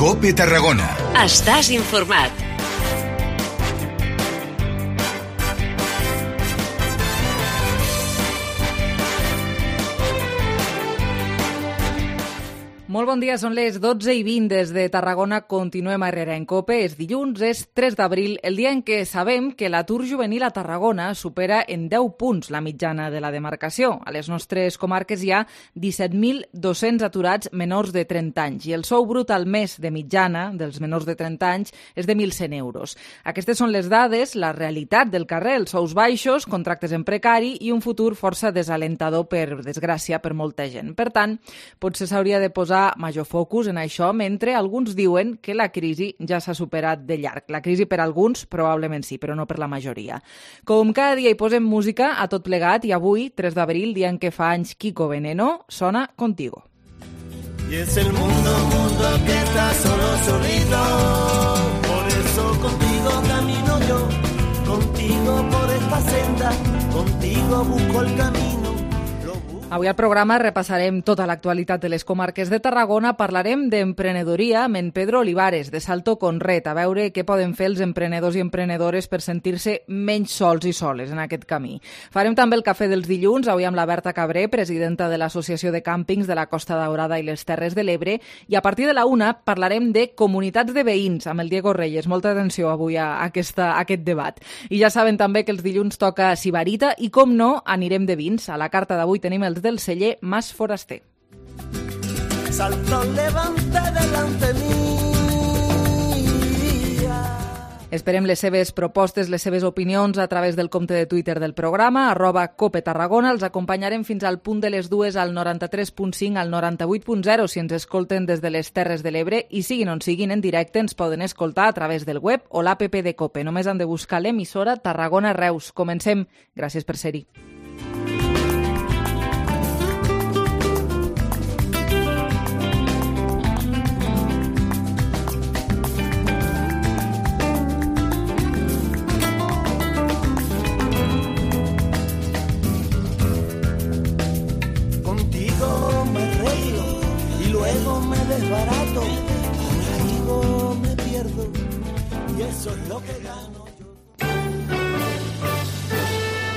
COPE Tarragona. Estàs informat. Molt bon dia, són les 12:20 des de Tarragona. Continuem a Herrera en COPE. És dilluns, és 3 d'abril, el dia en què sabem que l'atur juvenil a Tarragona supera en 10 punts la mitjana de la demarcació. A les nostres comarques hi ha 17.200 aturats menors de 30 anys i el sou brut al mes de mitjana dels menors de 30 anys és de 1.100 euros. Aquestes són les dades, la realitat del carrer, els sous baixos, contractes en precari i un futur força desalentador, per desgràcia, per molta gent. Per tant, potser s'hauria de posar major focus en això, mentre alguns diuen que la crisi ja s'ha superat de llarg. La crisi per alguns probablement sí, però no per la majoria. Com cada dia hi posem música a tot plegat i avui, 3 d'abril, dia en què fa anys Kiko Veneno, sona Contigo. Y es el mundo que está solito, por eso contigo camino yo, contigo por esta senda, contigo busco el camino. Avui al programa repassarem tota l'actualitat de les comarques de Tarragona, parlarem d'emprenedoria amb en Pedro Olivares, de Salto Conret, a veure què poden fer els emprenedors i emprenedores per sentir-se menys sols i soles en aquest camí. Farem també el cafè dels dilluns, avui amb la Berta Cabré, presidenta de l'Associació de Càmpings de la Costa Daurada i les Terres de l'Ebre, i a partir de la 1 parlarem de comunitats de veïns amb el Diego Reyes. Molta atenció avui a aquest debat. I ja saben també que els dilluns toca Sibarita i, com no, anirem de vins. A la carta d'avui tenim els del celler Mas Foraster. Salto levante delante mía. Esperem les seves propostes, les seves opinions a través del compte de Twitter del programa, @COPETarragona. Els acompanyarem fins al punt de les 2 al 93.5, al 98.0 si ens escolten des de les Terres de l'Ebre, i siguin on siguin en directe ens poden escoltar a través del web o l'app de COPE. Només han de buscar l'emissora Tarragona Reus. Comencem. Gràcies per ser-hi. Barato, contigo me pierdo y eso es lo que gano yo.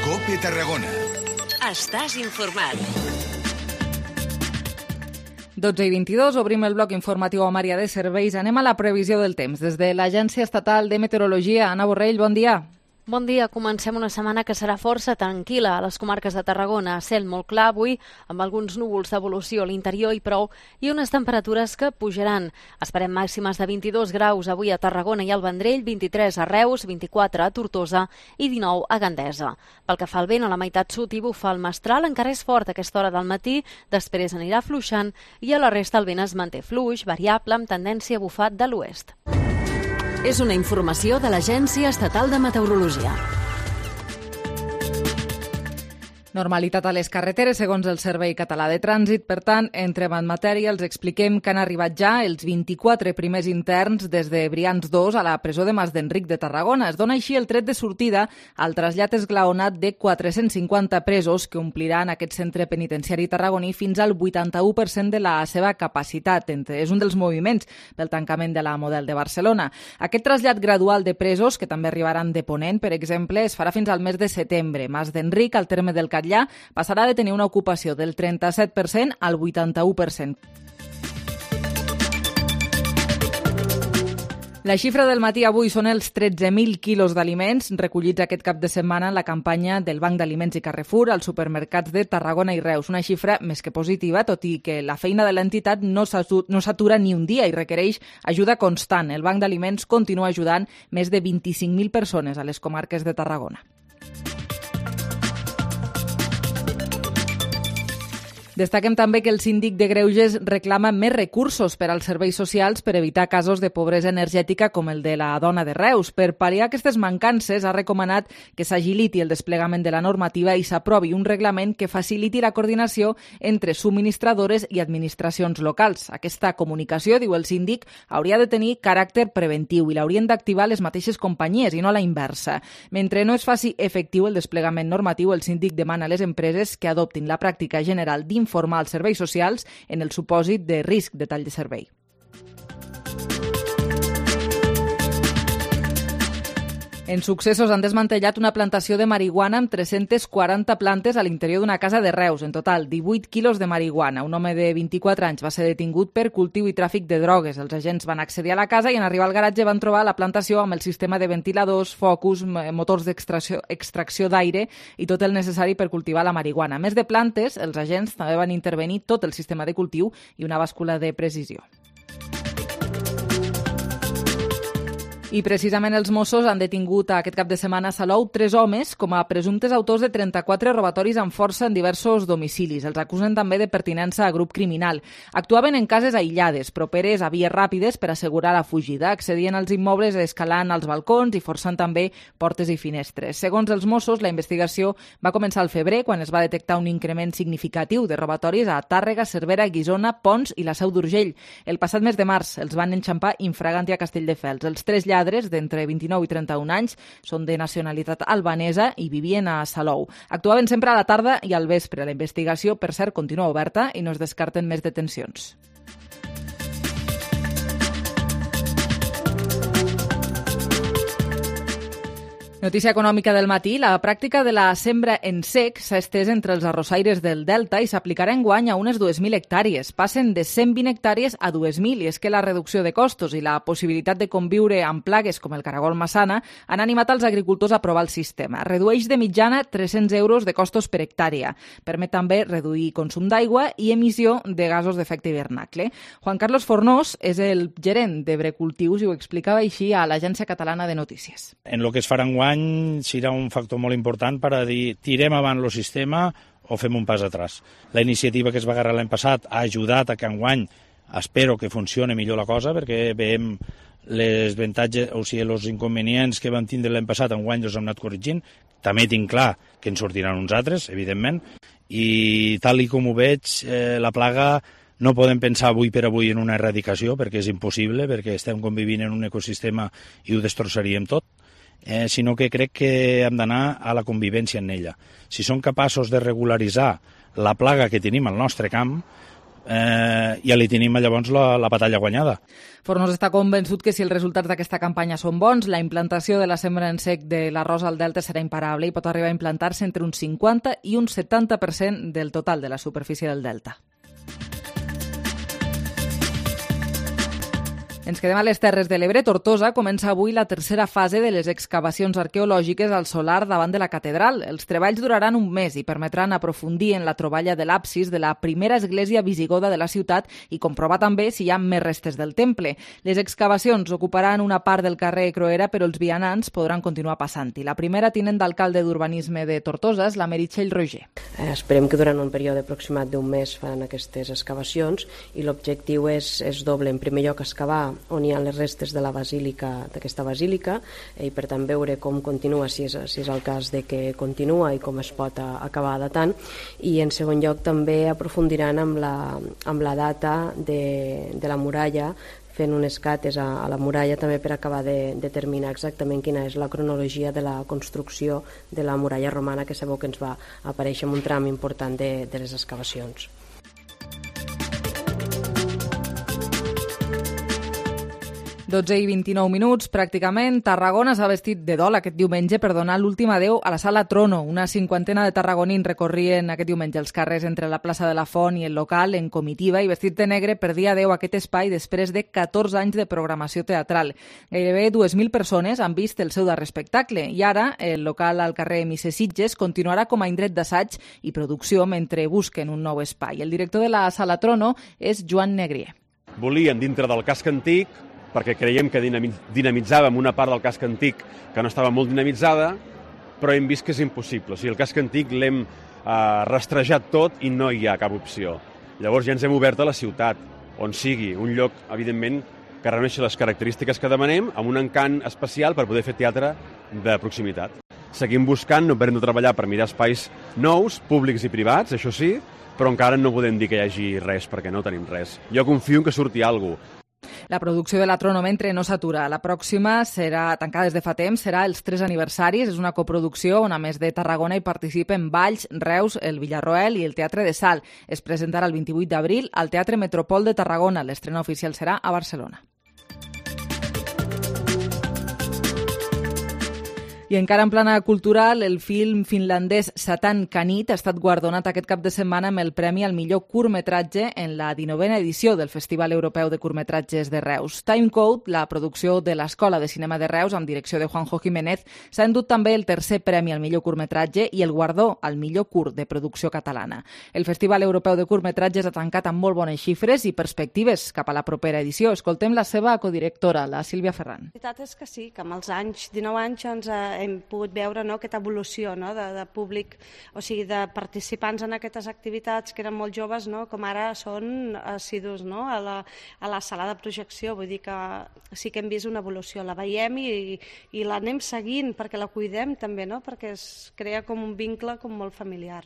COPE Tarragona. Estàs informat. 12:22, obrim el bloc informatiu amb àrea de serveis. Anem a la previsió del temps. Des de l'Agència Estatal de Meteorologia, Anna Borrell, bon dia. Bon dia. Comencem una setmana que serà força tranquil·la a les comarques de Tarragona. Cel molt clar avui, amb alguns núvols d'evolució a l'interior i prou, i unes temperatures que pujaran. Esperem màximes de 22 graus avui a Tarragona i al Vendrell, 23 a Reus, 24 a Tortosa i 19 a Gandesa. Pel que fa al vent, a la meitat sud hi bufa el mestral, encara és fort a aquesta hora del matí, després anirà afluixant i a la resta el vent es manté fluix, variable, amb tendència a bufar de l'oest. És una informació de l'Agència Estatal de Meteorologia. Normalitat a les carreteres, segons el Servei Català de Trànsit. Per tant, entrem en matèria, els expliquem que han arribat ja els 24 primers interns des de Brians 2 a la presó de Mas d'Enric de Tarragona. Es dona així el tret de sortida al trasllat esglaonat de 450 presos que ompliran aquest centre penitenciari tarragoní fins al 81% de la seva capacitat. És un dels moviments pel tancament de la Model de Barcelona. Aquest trasllat gradual de presos, que també arribaran de Ponent, per exemple, es farà fins al mes de setembre. Mas d'Enric, al terme del Catllà, passarà de tenir una ocupació del 37% al 81%. La xifra del matí avui són els 13.000 quilos d'aliments recollits aquest cap de setmana en la campanya del Banc d'Aliments i Carrefour als supermercats de Tarragona i Reus. Una xifra més que positiva, tot i que la feina de l'entitat no s'atura ni un dia i requereix ajuda constant. El Banc d'Aliments continua ajudant més de 25.000 persones a les comarques de Tarragona. Destaquem també que el síndic de Greuges reclama més recursos per als serveis socials per evitar casos de pobresa energètica com el de la dona de Reus. Per pal·liar aquestes mancances, ha recomanat que s'agiliti el desplegament de la normativa i s'aprovi un reglament que faciliti la coordinació entre subministradores i administracions locals. Aquesta comunicació, diu el síndic, hauria de tenir caràcter preventiu i l'haurien d'activar les mateixes companyies i no la inversa. Mentre no es faci efectiu el desplegament normatiu, el síndic demana a les empreses que adoptin la pràctica general d'informar als serveis socials en el supòsit de risc de tall de servei. En Successos han desmantellat una plantació de marihuana amb 340 plantes a l'interior d'una casa de Reus. En total, 18 quilos de marihuana. Un home de 24 anys va ser detingut per cultiu i tràfic de drogues. Els agents van accedir a la casa i en arribar al garatge van trobar la plantació amb el sistema de ventiladors, focus, motors d'extracció d'aire i tot el necessari per cultivar la marihuana. A més de plantes, els agents també van intervenir tot el sistema de cultiu i una bàscula de precisió. I precisament els Mossos han detingut aquest cap de setmana a Salou 3 homes com a presumptes autors de 34 robatoris amb força en diversos domicilis. Els acusen també de pertinença a grup criminal. Actuaven en cases aïllades, properes a vies ràpides per assegurar la fugida. Accedien als immobles escalant als balcons i forçant també portes i finestres. Segons els Mossos, la investigació va començar al febrer, quan es va detectar un increment significatiu de robatoris a Tàrrega, Cervera, Guissona, Pons i la Seu d'Urgell. El passat mes de març els van enxampar infraganti a Castelldefels. Els 3 lladres d'entre 29 i 31 anys són de nacionalitat albanesa i vivien a Salou. Actuaven sempre a la tarda i al vespre. La investigació, per cert, continua oberta i no es descarten més detencions. Notícia econòmica del matí. La pràctica de la sembra en sec s'ha estès entre els arrossaires del Delta i s'aplicarà enguany a unes 2.000 hectàrees. Passen de 120 hectàrees a 2.000 i és que la reducció de costos i la possibilitat de conviure amb plagues com el caragol massana han animat els agricultors a provar el sistema. Redueix de mitjana 300 euros de costos per hectàrea. Permet també reduir consum d'aigua i emissió de gasos d'efecte hivernacle. Juan Carlos Fornós és el gerent d'Ebrecultius i ho explicava així a l'Agència Catalana de Notícies. En lo que es farà enguany serà un factor molt important per a dir tirem avant el sistema o fem un pas atrás. La iniciativa que es va agarrar l'any passat ha ajudat a que enguany espero que funcioni millor la cosa perquè veiem les avantatges, o sigui, els inconvenients que vam tindre l'any passat enguany els hem anat corregint. També tinc clar que en sortiran uns altres, evidentment, i tal i com ho veig, la plaga no podem pensar avui per avui en una erradicació perquè és impossible, perquè estem convivint en un ecosistema i ho destrossaríem tot. Sinó que crec que hem d'anar a la convivència en ella. Si som capaços de regularitzar la plaga que tenim al nostre camp, ja li tenim llavors la batalla guanyada. Fornós està convençut que si els resultats d'aquesta campanya són bons, la implantació de la sembra en sec de l'arròs al Delta serà imparable i pot arribar a implantar-se entre un 50 i un 70% del total de la superfície del Delta. Ens quedem a les Terres de l'Ebre. Tortosa comença avui la tercera fase de les excavacions arqueològiques al solar davant de la catedral. Els treballs duraran un mes i permetran aprofundir en la troballa de l'absis de la primera església visigoda de la ciutat i comprovar també si hi ha més restes del temple. Les excavacions ocuparan una part del carrer Croera, però els vianants podran continuar passant-hi. La primera tinent d'alcalde d'Urbanisme de Tortosa és la Meritxell Roger. Esperem que durant un període aproximat d'un mes faran aquestes excavacions i l'objectiu és doble. En primer lloc, excavar on hi ha les restes de la basílica, d'aquesta basílica, i per tant veure com continua, si és el cas de que continua i com es pot acabar datant, i en segon lloc també aprofundiran amb la data de la muralla, fent unes cates a la muralla també per acabar de determinar exactament quina és la cronologia de la construcció de la muralla romana, que sabeu que ens va aparèixer en un tram important de les excavacions. 12:29, pràcticament. Tarragona s'ha vestit de dol aquest diumenge per donar l'últim adeu a la Sala Trono. Una cinquantena de tarragonins recorrien aquest diumenge els carrers entre la plaça de la Font i el local en comitiva i vestit de negre per dir adeu a aquest espai després de 14 anys de programació teatral. Gairebé 2.000 persones han vist el seu darrer espectacle i ara el local al carrer Misser Sitges continuarà com a indret d'assaig i producció mentre busquen un nou espai. El director de la Sala Trono és Joan Negrier. Volíem, dintre del casc antic, perquè creiem que dinamitzàvem una part del casc antic que no estava molt dinamitzada, però hem vist que és impossible. O sigui, el casc antic l'hem rastrejat tot i no hi ha cap opció. Llavors ja ens hem obert a la ciutat, on sigui un lloc, evidentment, que reuneixi les característiques que demanem, amb un encant especial per poder fer teatre de proximitat. Seguim buscant, no parem de treballar per mirar espais nous, públics i privats, això sí, però encara no podem dir que hi hagi res, perquè no tenim res. Jo confio en que surti alguna cosa. La producció de la Trono mentre no s'atura. La pròxima serà tancada des de fa temps, serà els 3 aniversaris. És una coproducció on a més de Tarragona hi participen Valls, Reus, el Villarroel i el Teatre de Sal. Es presentarà el 28 d'abril al Teatre Metropol de Tarragona. L'estrena oficial serà a Barcelona. I encara en plana cultural, el film finlandès Satan Kanit ha estat guardonat aquest cap de setmana amb el Premi al millor curtmetratge en la 19a edició del Festival Europeu de Curtmetratges de Reus. Timecode, la producció de l'Escola de Cinema de Reus, amb direcció de Juanjo Jiménez, s'ha endut també el tercer premi al millor curtmetratge i el guardó al millor curt de producció catalana. El Festival Europeu de Curtmetratges ha tancat amb molt bones xifres i perspectives cap a la propera edició. Escoltem la seva codirectora, la Sílvia Ferran. La veritat és que sí, que amb els anys, 19 anys, doncs, hem pogut veure aquesta evolució de públic, o sigui, de participants en aquestes activitats que eren molt joves, com ara són assidus a la sala de projecció. Vull dir que sí que hem vist una evolució, la veiem i l'anem seguint perquè la cuidem també, perquè es crea com un vincle molt familiar.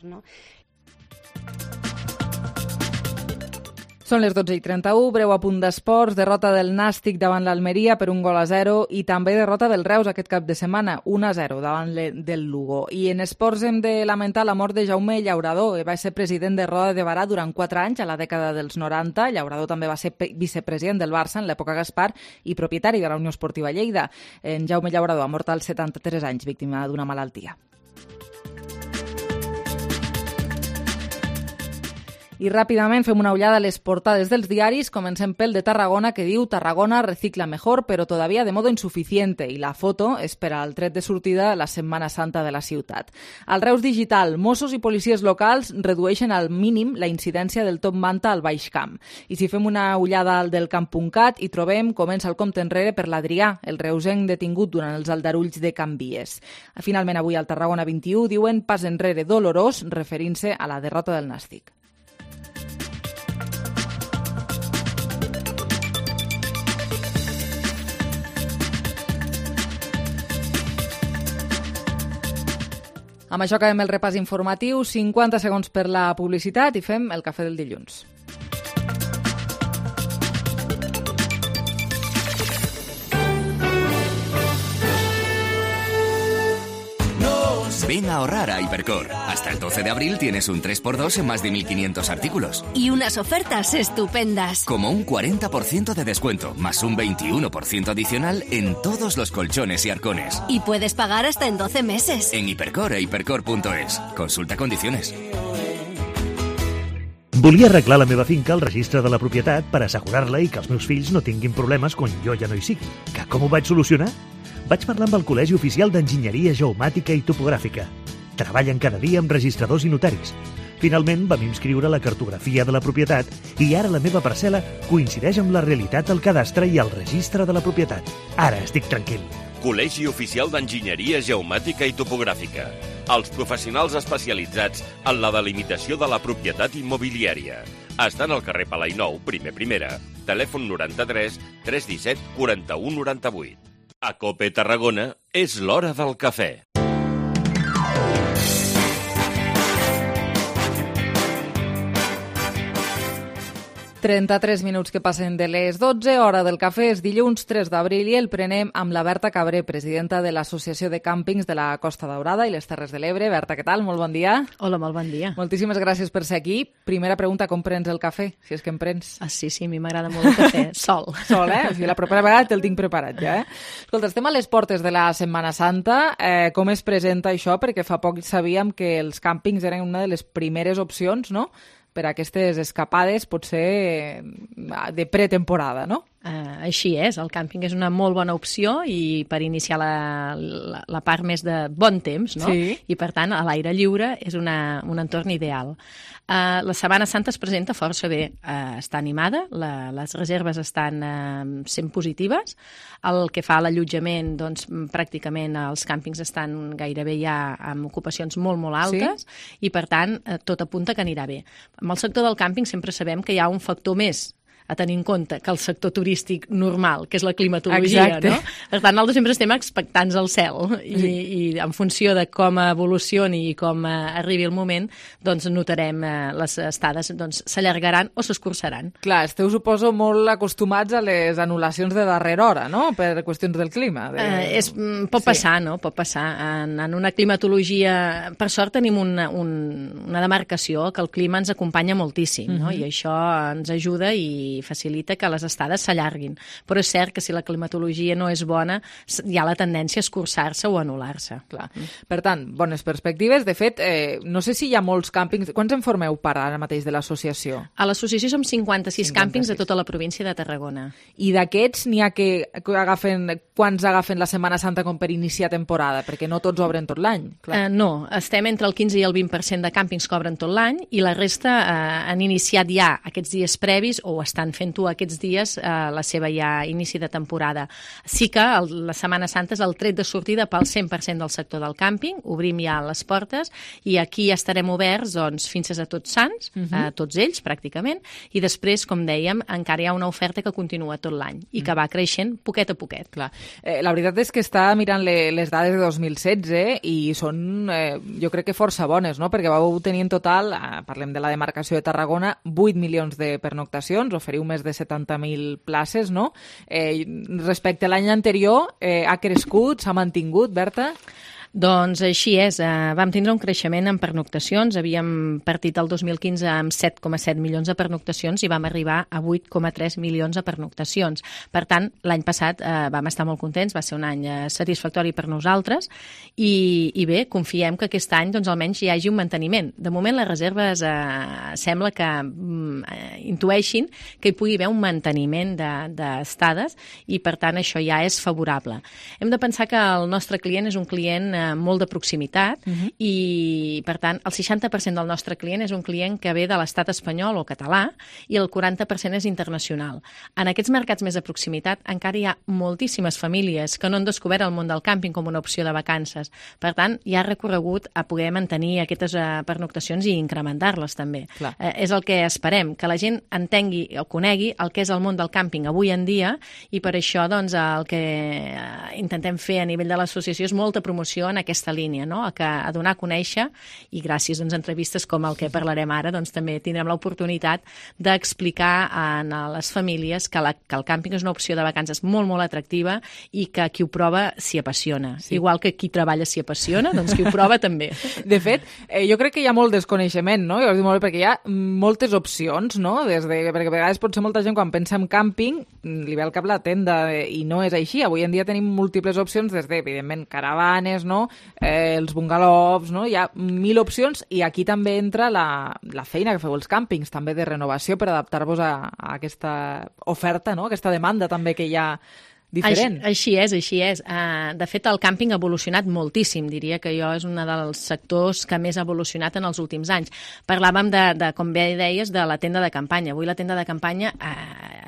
Són les 12:31, breu apunt d'esports, derrota del Nàstic davant l'Almeria per 1-0 i també derrota del Reus aquest cap de setmana, 1-0 davant del Lugo. I en esports hem de lamentar la mort de Jaume Llaurador, va ser president de Roda de Barà durant 4 anys, a la dècada dels 90. Llaurador també va ser vicepresident del Barça en l'època Gaspar i propietari de la Unió Esportiva Lleida. En Jaume Llaurador ha mort als 73 anys, víctima d'una malaltia. I ràpidament fem una ullada a les portades dels diaris. Comencem pel de Tarragona, que diu Tarragona recicla mejor, però todavía de modo insuficiente. I la foto és per al tret de sortida de la Setmana Santa de la ciutat. Al Reus Digital, Mossos i policies locals redueixen al mínim la incidència del top manta al Baix Camp. I si fem una ullada al del Camp.cat, hi trobem comença el compte enrere per l'Adrià, el reusenc detingut durant els aldarulls de Can Vies. Finalment, avui al Tarragona 21 diuen pas enrere dolorós, referint-se a la derrota del Nàstic. Amb això acabem el repàs informatiu, 50 segons per la publicitat i fem el cafè del dilluns. Ven a ahorrar a Hipercor. Hasta el 12 de abril tienes un 3x2 en más de 1.500 artículos. Y unas ofertas estupendas. Como un 40% de descuento, más un 21% adicional en todos los colchones y arcones. Y puedes pagar hasta en 12 meses. En Hipercor e hipercor.es. Consulta condiciones. Volia arreglar la meva finca al registre de la propietat per assegurar-la i que els meus fills no tinguin problemes quan jo ja no hi sigui. Que com ho vaig solucionar? Vaig parlar amb el Col·legi Oficial d'Enginyeria Geomàtica i Topogràfica. Treballen cada dia amb registradors i notaris. Finalment vam inscriure la cartografia de la propietat i ara la meva parcel·la coincideix amb la realitat del cadastre i el registre de la propietat. Ara estic tranquil. Col·legi Oficial d'Enginyeria Geomàtica i Topogràfica. Els professionals especialitzats en la delimitació de la propietat immobiliària. Estan al carrer Palai Nou, primera. Telèfon 93 317 41 98. A COPE Tarragona és l'hora del cafè. 33 minuts que passen de les 12, hora del cafè, és dilluns 3 d'abril i el prenem amb la Berta Cabré, presidenta de l'Associació de Càmpings de la Costa Daurada i les Terres de l'Ebre. Berta, què tal? Molt bon dia. Hola, molt bon dia. Moltíssimes gràcies per ser aquí. Primera pregunta, com prens el cafè? Si és que en prens. Sí, a mi m'agrada molt el cafè, sol. Sol, O sigui, la propera vegada te'l tinc preparat ja, Escolta, estem a les portes de la Setmana Santa. Com es presenta això? Perquè fa poc sabíem que els càmpings eren una de les primeres opcions, no?, per a aquestes escapades, potser de pretemporada, no? Així és, el càmping és una molt bona opció i per iniciar la part més de bon temps, no? Sí. I per tant, a l'aire lliure és un entorn ideal. La Setmana Santa es presenta força bé, està animada, les reserves estan sent positives, el que fa a l'allotjament, doncs pràcticament els càmpings estan gairebé ja amb ocupacions molt, molt altes, i per tant tot apunta que anirà bé. Amb el sector del càmping sempre sabem que hi ha un factor més a tenir en compte que el sector turístic normal, que és la climatologia, Exacte. no? Per tant, nosaltres sempre estem expectants al cel i en funció de com evolucioni i com arribi el moment, doncs notarem les estades s'allargaran o s'escurçaran. Clar, esteu, suposo, molt acostumats a les anul·lacions de darrera hora, no?, per qüestions del clima. Pot passar, no? Pot passar. En una climatologia, per sort tenim una demarcació que el clima ens acompanya moltíssim, no? I això ens ajuda i i facilita que les estades s'allarguin. Però és cert que si la climatologia no és bona, hi ha la tendència a escurçar-se o anul·lar-se. Clar. Per tant, bones perspectives. De fet, no sé si hi ha molts càmpings. Quants en formeu part ara mateix de l'associació? A l'associació som 56 càmpings de tota la província de Tarragona. I d'aquests n'hi ha que quants agafen la Setmana Santa com per iniciar temporada? Perquè no tots obren tot l'any. No, estem entre el 15 i el 20% de càmpings que obren tot l'any i la resta han iniciat ja aquests dies previs o estan fent-ho aquests dies la seva ja inici de temporada. Sí que la Setmana Santa és el tret de sortida pel 100% del sector del càmping, obrim ja les portes i aquí estarem oberts doncs, fins a Tots Sants, tots ells pràcticament, i després, com dèiem, encara hi ha una oferta que continua tot l'any i que va creixent poquet a poquet. Clar. La veritat és que està mirant les dades de 2016 i són, jo crec que força bones, no? Perquè vau tenir en total, parlem de la demarcació de Tarragona, 8 milions de pernoctacions, oferiu més de 70.000 places, no? Respecte a l'any anterior, ha crescut, s'ha mantingut, Berta? Doncs així és. Vam tindre un creixement en pernoctacions. Havíem partit el 2015 amb 7,7 milions de pernoctacions i vam arribar a 8,3 milions de pernoctacions. Per tant, l'any passat vam estar molt contents, va ser un any satisfactori per nosaltres i bé, confiem que aquest any doncs, almenys hi hagi un manteniment. De moment les reserves sembla que intueixin que hi pugui haver un manteniment d'estades i per tant això ja és favorable. Hem de pensar que el nostre client és un client molt de proximitat i, per tant, el 60% del nostre client és un client que ve de l'estat espanyol o català i el 40% és internacional. En aquests mercats més de proximitat encara hi ha moltíssimes famílies que no han descobert el món del càmping com una opció de vacances. Per tant, hi ha recorregut a poder mantenir aquestes pernoctacions i incrementar-les també. És el que esperem, que la gent entengui o conegui el que és el món del càmping avui en dia i per això doncs, el que intentem fer a nivell de l'associació és molta promoció en aquesta línia, no? A donar a conèixer i gràcies a entrevistes com el que parlarem ara doncs, també tindrem l'oportunitat d'explicar a les famílies que el càmping és una opció de vacances molt, molt atractiva i que qui ho prova s'hi apassiona. Sí. Igual que qui treballa s'hi apassiona, doncs qui ho prova també. De fet, jo crec que hi ha molt desconeixement, no? Jo us dic molt bé, perquè hi ha moltes opcions, no? Perquè a vegades potser molta gent quan pensa en càmping li ve al cap la tenda i no és així. Avui en dia tenim múltiples opcions des de, evidentment, caravanes, no? Els bungalows, no? Hi ha 1.000 opcions i aquí també entra la feina que feu els càmpings, també de renovació per adaptar-vos a aquesta oferta, no? Aquesta demanda també que hi ha diferent. Així és. De fet, el càmping ha evolucionat moltíssim. Diria que jo és un dels sectors que més ha evolucionat en els últims anys. Parlàvem, com bé deies, de la tenda de campanya. Avui la tenda de campanya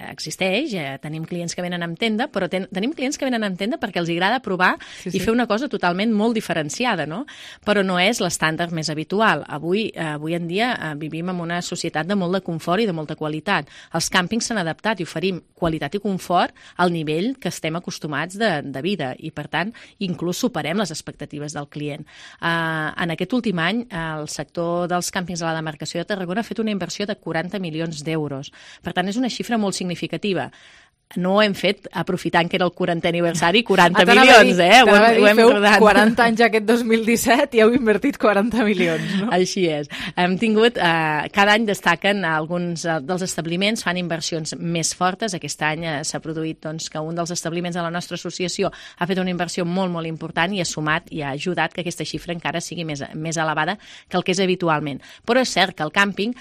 existeix, tenim clients que venen amb tenda, però tenim clients que venen amb tenda perquè els agrada provar i fer una cosa totalment molt diferenciada, no? Però no és l'estàndard més habitual. Avui en dia vivim en una societat de molt de confort i de molta qualitat. Els càmpings s'han adaptat i oferim qualitat i confort al nivell que estem acostumats de vida i, per tant, inclús superem les expectatives del client. En aquest últim any, el sector dels càmpings de la demarcació de Tarragona ha fet una inversió de 40 milions d'euros. Per tant, és una xifra molt significativa. No ho hem fet aprofitant que era el 40è aniversari, 40 milions, ho hem rodat. 40 anys aquest 2017 i heu invertit 40 milions, no? Així és. Hem tingut, cada any destaquen alguns dels establiments, fan inversions més fortes. Aquest any s'ha produït doncs, que un dels establiments de la nostra associació ha fet una inversió molt, molt important i ha sumat i ha ajudat que aquesta xifra encara sigui més elevada que el que és habitualment. Però és cert que el càmping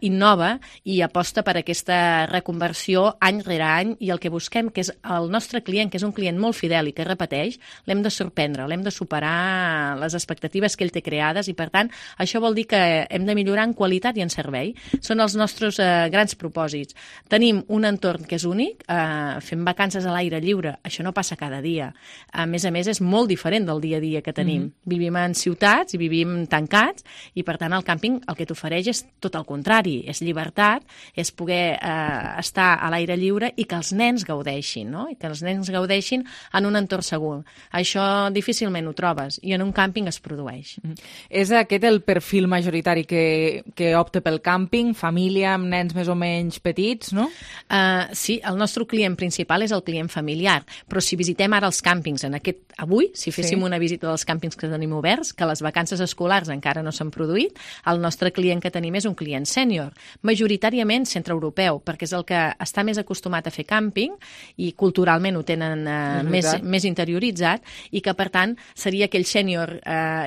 innova i aposta per aquesta reconversió any rere any i el que busquem, que és el nostre client, que és un client molt fidel i que repeteix, l'hem de sorprendre, l'hem de superar les expectatives que ell té creades i, per tant, això vol dir que hem de millorar en qualitat i en servei. Són els nostres grans propòsits. Tenim un entorn que és únic, fem vacances a l'aire lliure, això no passa cada dia. A més, és molt diferent del dia a dia que tenim. Vivim en ciutats i vivim tancats i, per tant, el càmping el que t'ofereix és tot el contrari, és llibertat, és poder estar a l'aire lliure i que els els nens gaudeixin, no? I que els nens gaudeixin en un entorn segur. Això difícilment ho trobes i en un càmping es produeix. És aquest el perfil majoritari que opta pel càmping, família amb nens més o menys petits, no? Sí, el nostre client principal és el client familiar, però si visitem ara els càmpings avui, si féssim una visita dels càmpings que tenim oberts, que les vacances escolars encara no s'han produït, el nostre client que tenim és un client sènior, majoritàriament centreeuropeu, perquè és el que està més acostumat a fer càmping i culturalment ho tenen més interioritzat i que, per tant, seria aquell sènior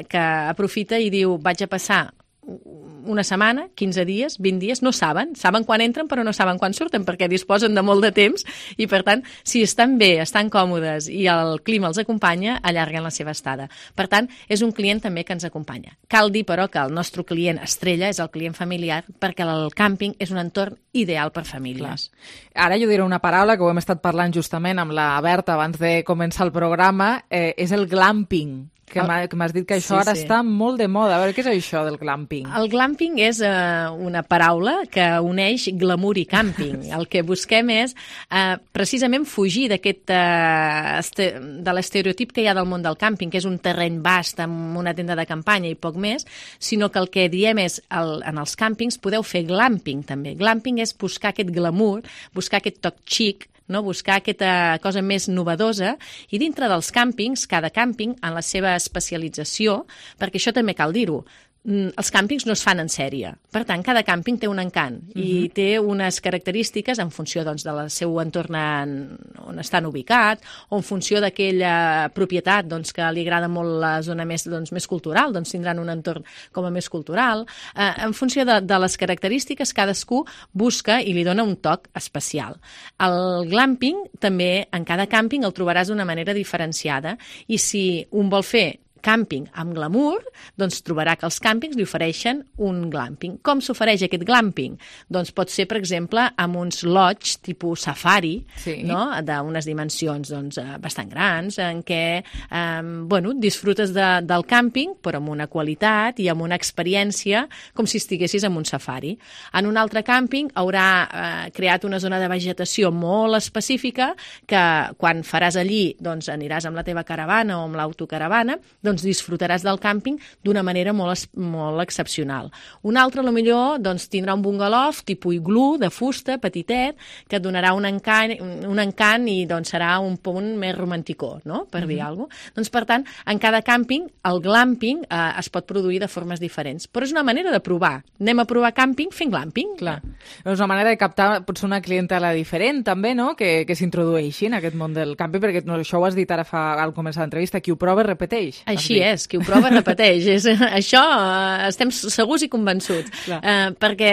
que aprofita i diu vaig a passar una setmana, 15 dies, 20 dies, no saben quan entren però no saben quan surten perquè disposen de molt de temps i per tant, si estan bé, estan còmodes i el clima els acompanya, allarguen la seva estada. Per tant, és un client també que ens acompanya. Cal dir, però, que el nostre client estrella és el client familiar perquè el càmping és un entorn ideal per famílies. Clar. Ara jo diré una paraula que ho hem estat parlant justament amb la Berta abans de començar el programa, és el glamping. Que m'has dit que això ara està molt de moda. A veure, què és això del glamping? El glamping és una paraula que uneix glamour i càmping. El que busquem és precisament fugir de l'estereotip que hi ha del món del càmping, que és un terreny vast amb una tenda de campanya i poc més, sinó que el que diem és en els càmpings podeu fer glamping també. Glamping és buscar aquest glamour, buscar aquest toc xic, no? Buscar aquesta cosa més novedosa i dintre dels càmpings, cada càmping en la seva especialització, perquè això també cal dir-ho, els càmpings no es fan en sèrie. Per tant, cada càmping té un encant i té unes característiques en funció doncs, del seu entorn on estan ubicat o en funció d'aquella propietat doncs, que li agrada molt la zona més cultural, doncs tindran un entorn com a més cultural. En funció de les característiques, cadascú busca i li dona un toc especial. El glamping també, en cada càmping, el trobaràs d'una manera diferenciada i si un vol fer càmping amb glamour, doncs trobarà que els càmpings li ofereixen un glamping. Com s'ofereix aquest glamping? Doncs pot ser, per exemple, amb uns lodge tipus safari, no? D'unes dimensions doncs, bastant grans, en què disfrutes del càmping, però amb una qualitat i amb una experiència com si estiguessis en un safari. En un altre càmping haurà creat una zona de vegetació molt específica que quan faràs allí doncs, aniràs amb la teva caravana o amb l'autocaravana, doncs disfrutaràs del càmping d'una manera molt excepcional. Un altre, millor, doncs, tindrà un bungalow tipus iglú, de fusta, petitet, que et donarà un encant i doncs, serà un punt més romanticó, no? Per dir alguna cosa. Doncs, per tant, en cada càmping, el glamping es pot produir de formes diferents. Però és una manera de provar. Anem a provar càmping fent glamping. Clar. És una manera de captar potser una clientela diferent, també, no? Que s'introdueixi en aquest món del càmping, perquè això ho has dit ara al començar l'entrevista, qui ho prova repeteix. Així és, qui ho prova repeteix. Això estem segurs i convençuts. Perquè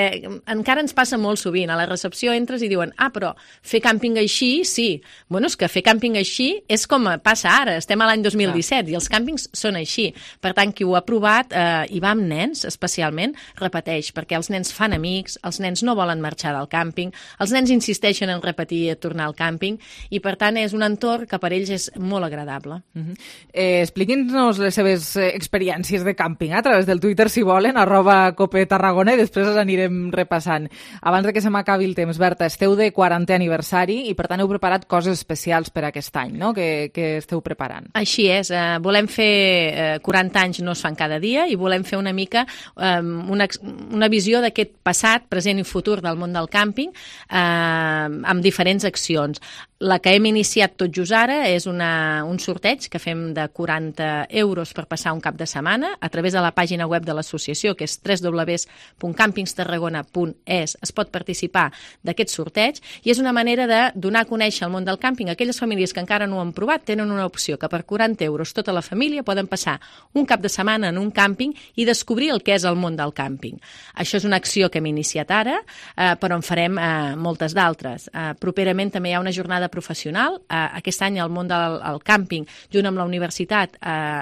encara ens passa molt sovint. A la recepció entres i diuen però fer càmping així, sí. Bueno, és que fer càmping així és com passa ara. Estem a l'any 2017 i els càmpings són així. Per tant, qui ho ha provat, i va amb nens especialment, repeteix, perquè els nens fan amics, els nens no volen marxar del càmping, els nens insisteixen en repetir i tornar al càmping i, per tant, és un entorn que per ells és molt agradable. Expliqui'ns les seves experiències de càmping a través del Twitter, si volen, @copetarragona, i després les anirem repassant. Abans de que se m'acabi el temps, Berta, esteu de 40è aniversari i, per tant, heu preparat coses especials per aquest any, no?, que esteu preparant. Així és. Volem fer 40 anys no es fan cada dia i volem fer una mica una visió d'aquest passat, present i futur del món del càmping amb diferents accions. La que hem iniciat tot just ara és un sorteig que fem de 40 euros per passar un cap de setmana a través de la pàgina web de l'associació, que és www.campingstarragona.es. Es pot participar d'aquest sorteig i és una manera de donar a conèixer el món del càmping. Aquelles famílies que encara no ho han provat tenen una opció que per 40 euros tota la família poden passar un cap de setmana en un càmping i descobrir el que és el món del càmping. Això és una acció que hem iniciat ara, però en farem moltes d'altres. Properament també hi ha una jornada professional. Aquest any el món del càmping, junt amb la universitat,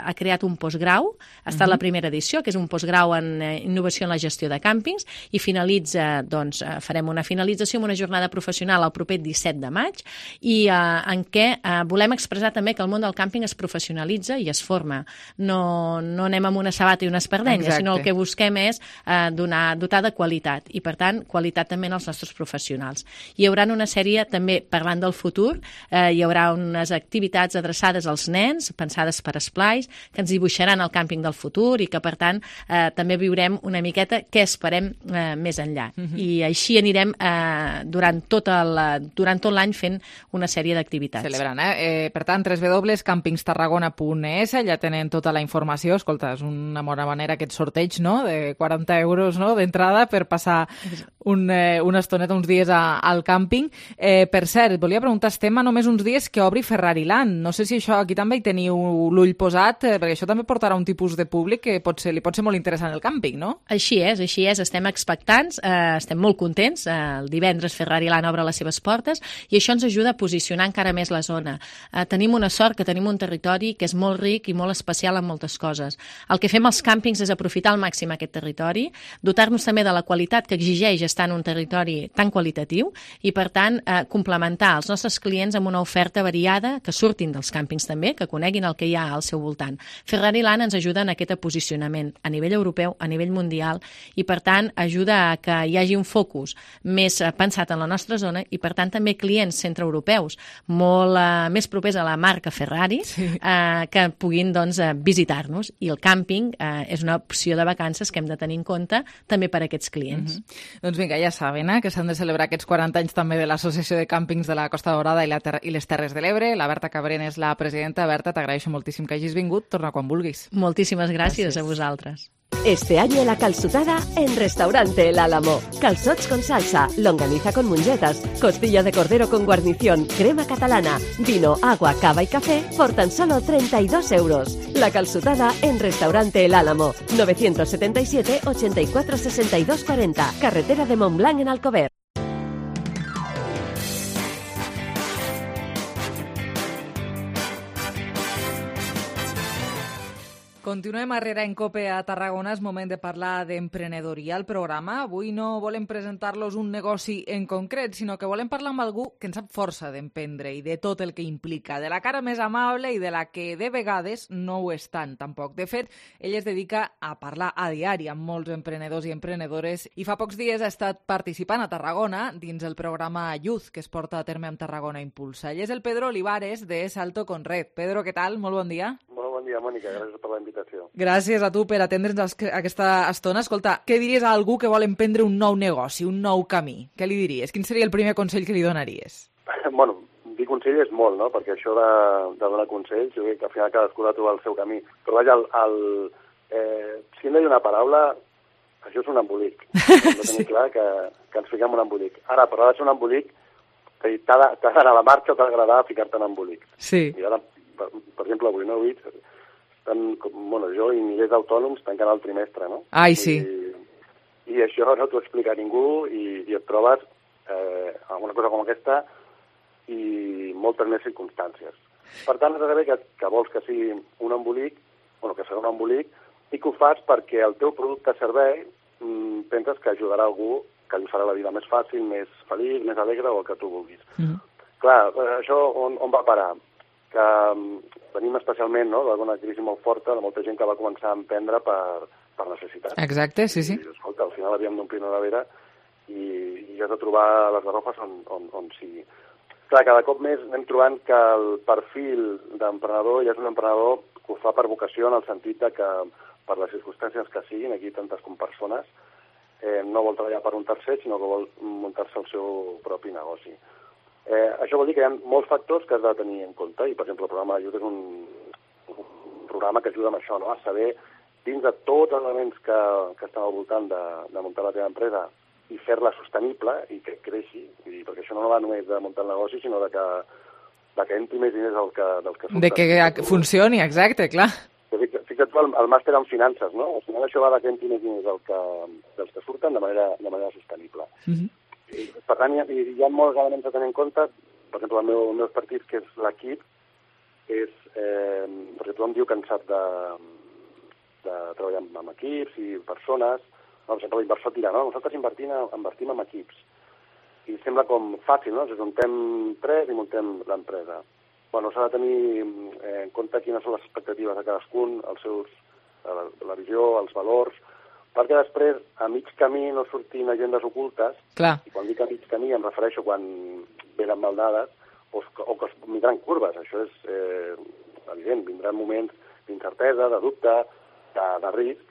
ha creat un postgrau, ha estat la primera edició, que és un postgrau en innovació en la gestió de càmpings, i finalitza, doncs, farem una finalització amb una jornada professional el proper 17 de maig, i en què volem expressar també que el món del càmping es professionalitza i es forma. No anem amb una sabata i una espardenya, sinó el que busquem és dotar de qualitat, i per tant, qualitat també en els nostres professionals. Hi haurà una sèrie, també parlant del futur, hi haurà unes activitats adreçades als nens, pensades per esplais, que ens dibuixaran el càmping del futur i que, per tant, també viurem una miqueta què esperem més enllà. I així anirem durant tot l'any fent una sèrie d'activitats. Celebrant, Per tant, www.campingstarragona.es, ja tenen tota la informació. Escolta, és una bona manera aquest sorteig, no?, de 40 euros, no?, d'entrada per passar una estoneta, uns dies al càmping. Per cert, volia preguntar, estem a només uns dies que obri Ferrariland. No sé si això aquí també hi teniu l'ull posat, perquè això també portarà un tipus de públic que li pot ser molt interessant el càmping, no? Així és. Estem expectants, estem molt contents. El divendres Ferrariland obre les seves portes i això ens ajuda a posicionar encara més la zona. Tenim una sort que tenim un territori que és molt ric i molt especial en moltes coses. El que fem als càmpings és aprofitar al màxim aquest territori, dotar-nos també de la qualitat que exigeix estar en un territori tan qualitatiu i, per tant, complementar els nostres clients amb una oferta variada, que surtin dels càmpings també, que coneguin el que hi ha al seu voltant. Ferrariland ens ajuda en aquest posicionament a nivell europeu, a nivell mundial, i per tant ajuda a que hi hagi un focus més pensat en la nostra zona i per tant també clients centreeuropeus molt més propers a la marca Ferrari que puguin visitar-nos, i el càmping és una opció de vacances que hem de tenir en compte també per a aquests clients. Doncs vinga, ja saben que s'han de celebrar aquests 40 anys també de l'Associació de Càmpings de la Costa Daurada i les Terres de l'Ebre. La Berta Cabrén és la presidenta. Berta, t'agraeixo moltíssim que hagis vingut. Torna quan vulguis. Moltíssimes gràcies a vosaltres. Este año la calçotada en Restaurante El Álamo. Calzots con salsa, longaniza con mungetas, costilla de cordero con guarnición, crema catalana, vino, agua, cava y café por tan solo 32 euros. La calçotada en Restaurante El Álamo. 977 84 62 40. Carretera de Montblanc en Alcover. Continuem a Herrera en Cope a Tarragona. És moment de parlar d'emprenedoria al programa. Avui no volem presentar-los un negoci en concret, sinó que volem parlar amb algú que en sap força d'emprendre i de tot el que implica, de la cara més amable i de la que de vegades no ho és tant, tampoc. De fet, ell es dedica a parlar a diari amb molts emprenedors i emprenedores i fa pocs dies ha estat participant a Tarragona dins el programa Youth que es porta a terme amb Tarragona Impulsa. Ell és el Pedro Olivares de Salto con Red. Pedro, què tal? Molt bon dia. Molt bon dia, Mònica. Gràcies per la invitació. Gràcies a tu per atendre'ns aquesta estona. Escolta, què diries a algú que vol emprendre un nou negoci, un nou camí? Què li diries? Quin seria el primer consell que li donaries? Bueno, dir consell és molt, no? Perquè això de donar consells, jo crec que al final cadascú ha de trobar el seu camí. Però vaja, si hem de dir una paraula, això és un embolic. Hem de tenir clar que ens fiquem un embolic. Ara, però ha de ser un embolic que t'ha d'anar a la marxa o t'ha d'agradar ficar-te en embolic. Sí. I ara, per exemple, avui no ho he vist, jo i milers d'autònoms tancant el trimestre, no? Ai, sí. I això no t'ho explica ningú i et trobes alguna cosa com aquesta i moltes més circumstàncies. Per tant, has de saber que vols que sigui un embolic, que serà un embolic, i que ho fas perquè el teu producte servei penses que ajudarà algú, que li farà la vida més fàcil, més feliç, més alegre o el que tu vulguis. Clar, això on va parar? Que venim especialment d'una crisi molt forta, de molta gent que va començar a emprendre per necessitat. Exacte, sí. I, escolta, al final havíem d'omplir una nevera i has de trobar les garrofes on sigui. Clar, cada cop més anem trobant que el perfil d'emprenedor ja és un emprenedor que ho fa per vocació, en el sentit que per les circumstàncies que siguin, aquí tantes com persones, no vol treballar per un tercer, sinó que vol muntar-se el seu propi negoci. Això vol dir que hi ha molts factors que has de tenir en compte i, per exemple, el programa Youth és un programa que ajuda amb això, a saber, dins de tots els elements que estan al voltant de muntar la teva empresa i fer-la sostenible i que creixi, perquè això no va només de muntar el negoci, sinó de que entri més diners dels que surten. De que funcioni, exacte, clar. Fixa't tu el màster en finances, no? Al final això va de que entri més diners dels que surten de manera sostenible. Per tant, hi ha molts elements a tenir en compte. Per exemple, el meu expertise, que és l'equip, és, perquè tothom diu cansat de treballar amb equips i persones. No, per exemple, l'inversor dirà, no, nosaltres invertim en equips. I sembla com fàcil, no? Ens ajuntem 3 i muntem l'empresa. Bueno, s'ha de tenir en compte quines són les expectatives de cadascun, la visió, els valors, perquè després, a mig camí, no surtin agendes ocultes. Clar. I quan dic a mig camí em refereixo quan venen mal dades o que es vindran curves. Això és evident, vindran moments d'incertesa, de dubte, de risc,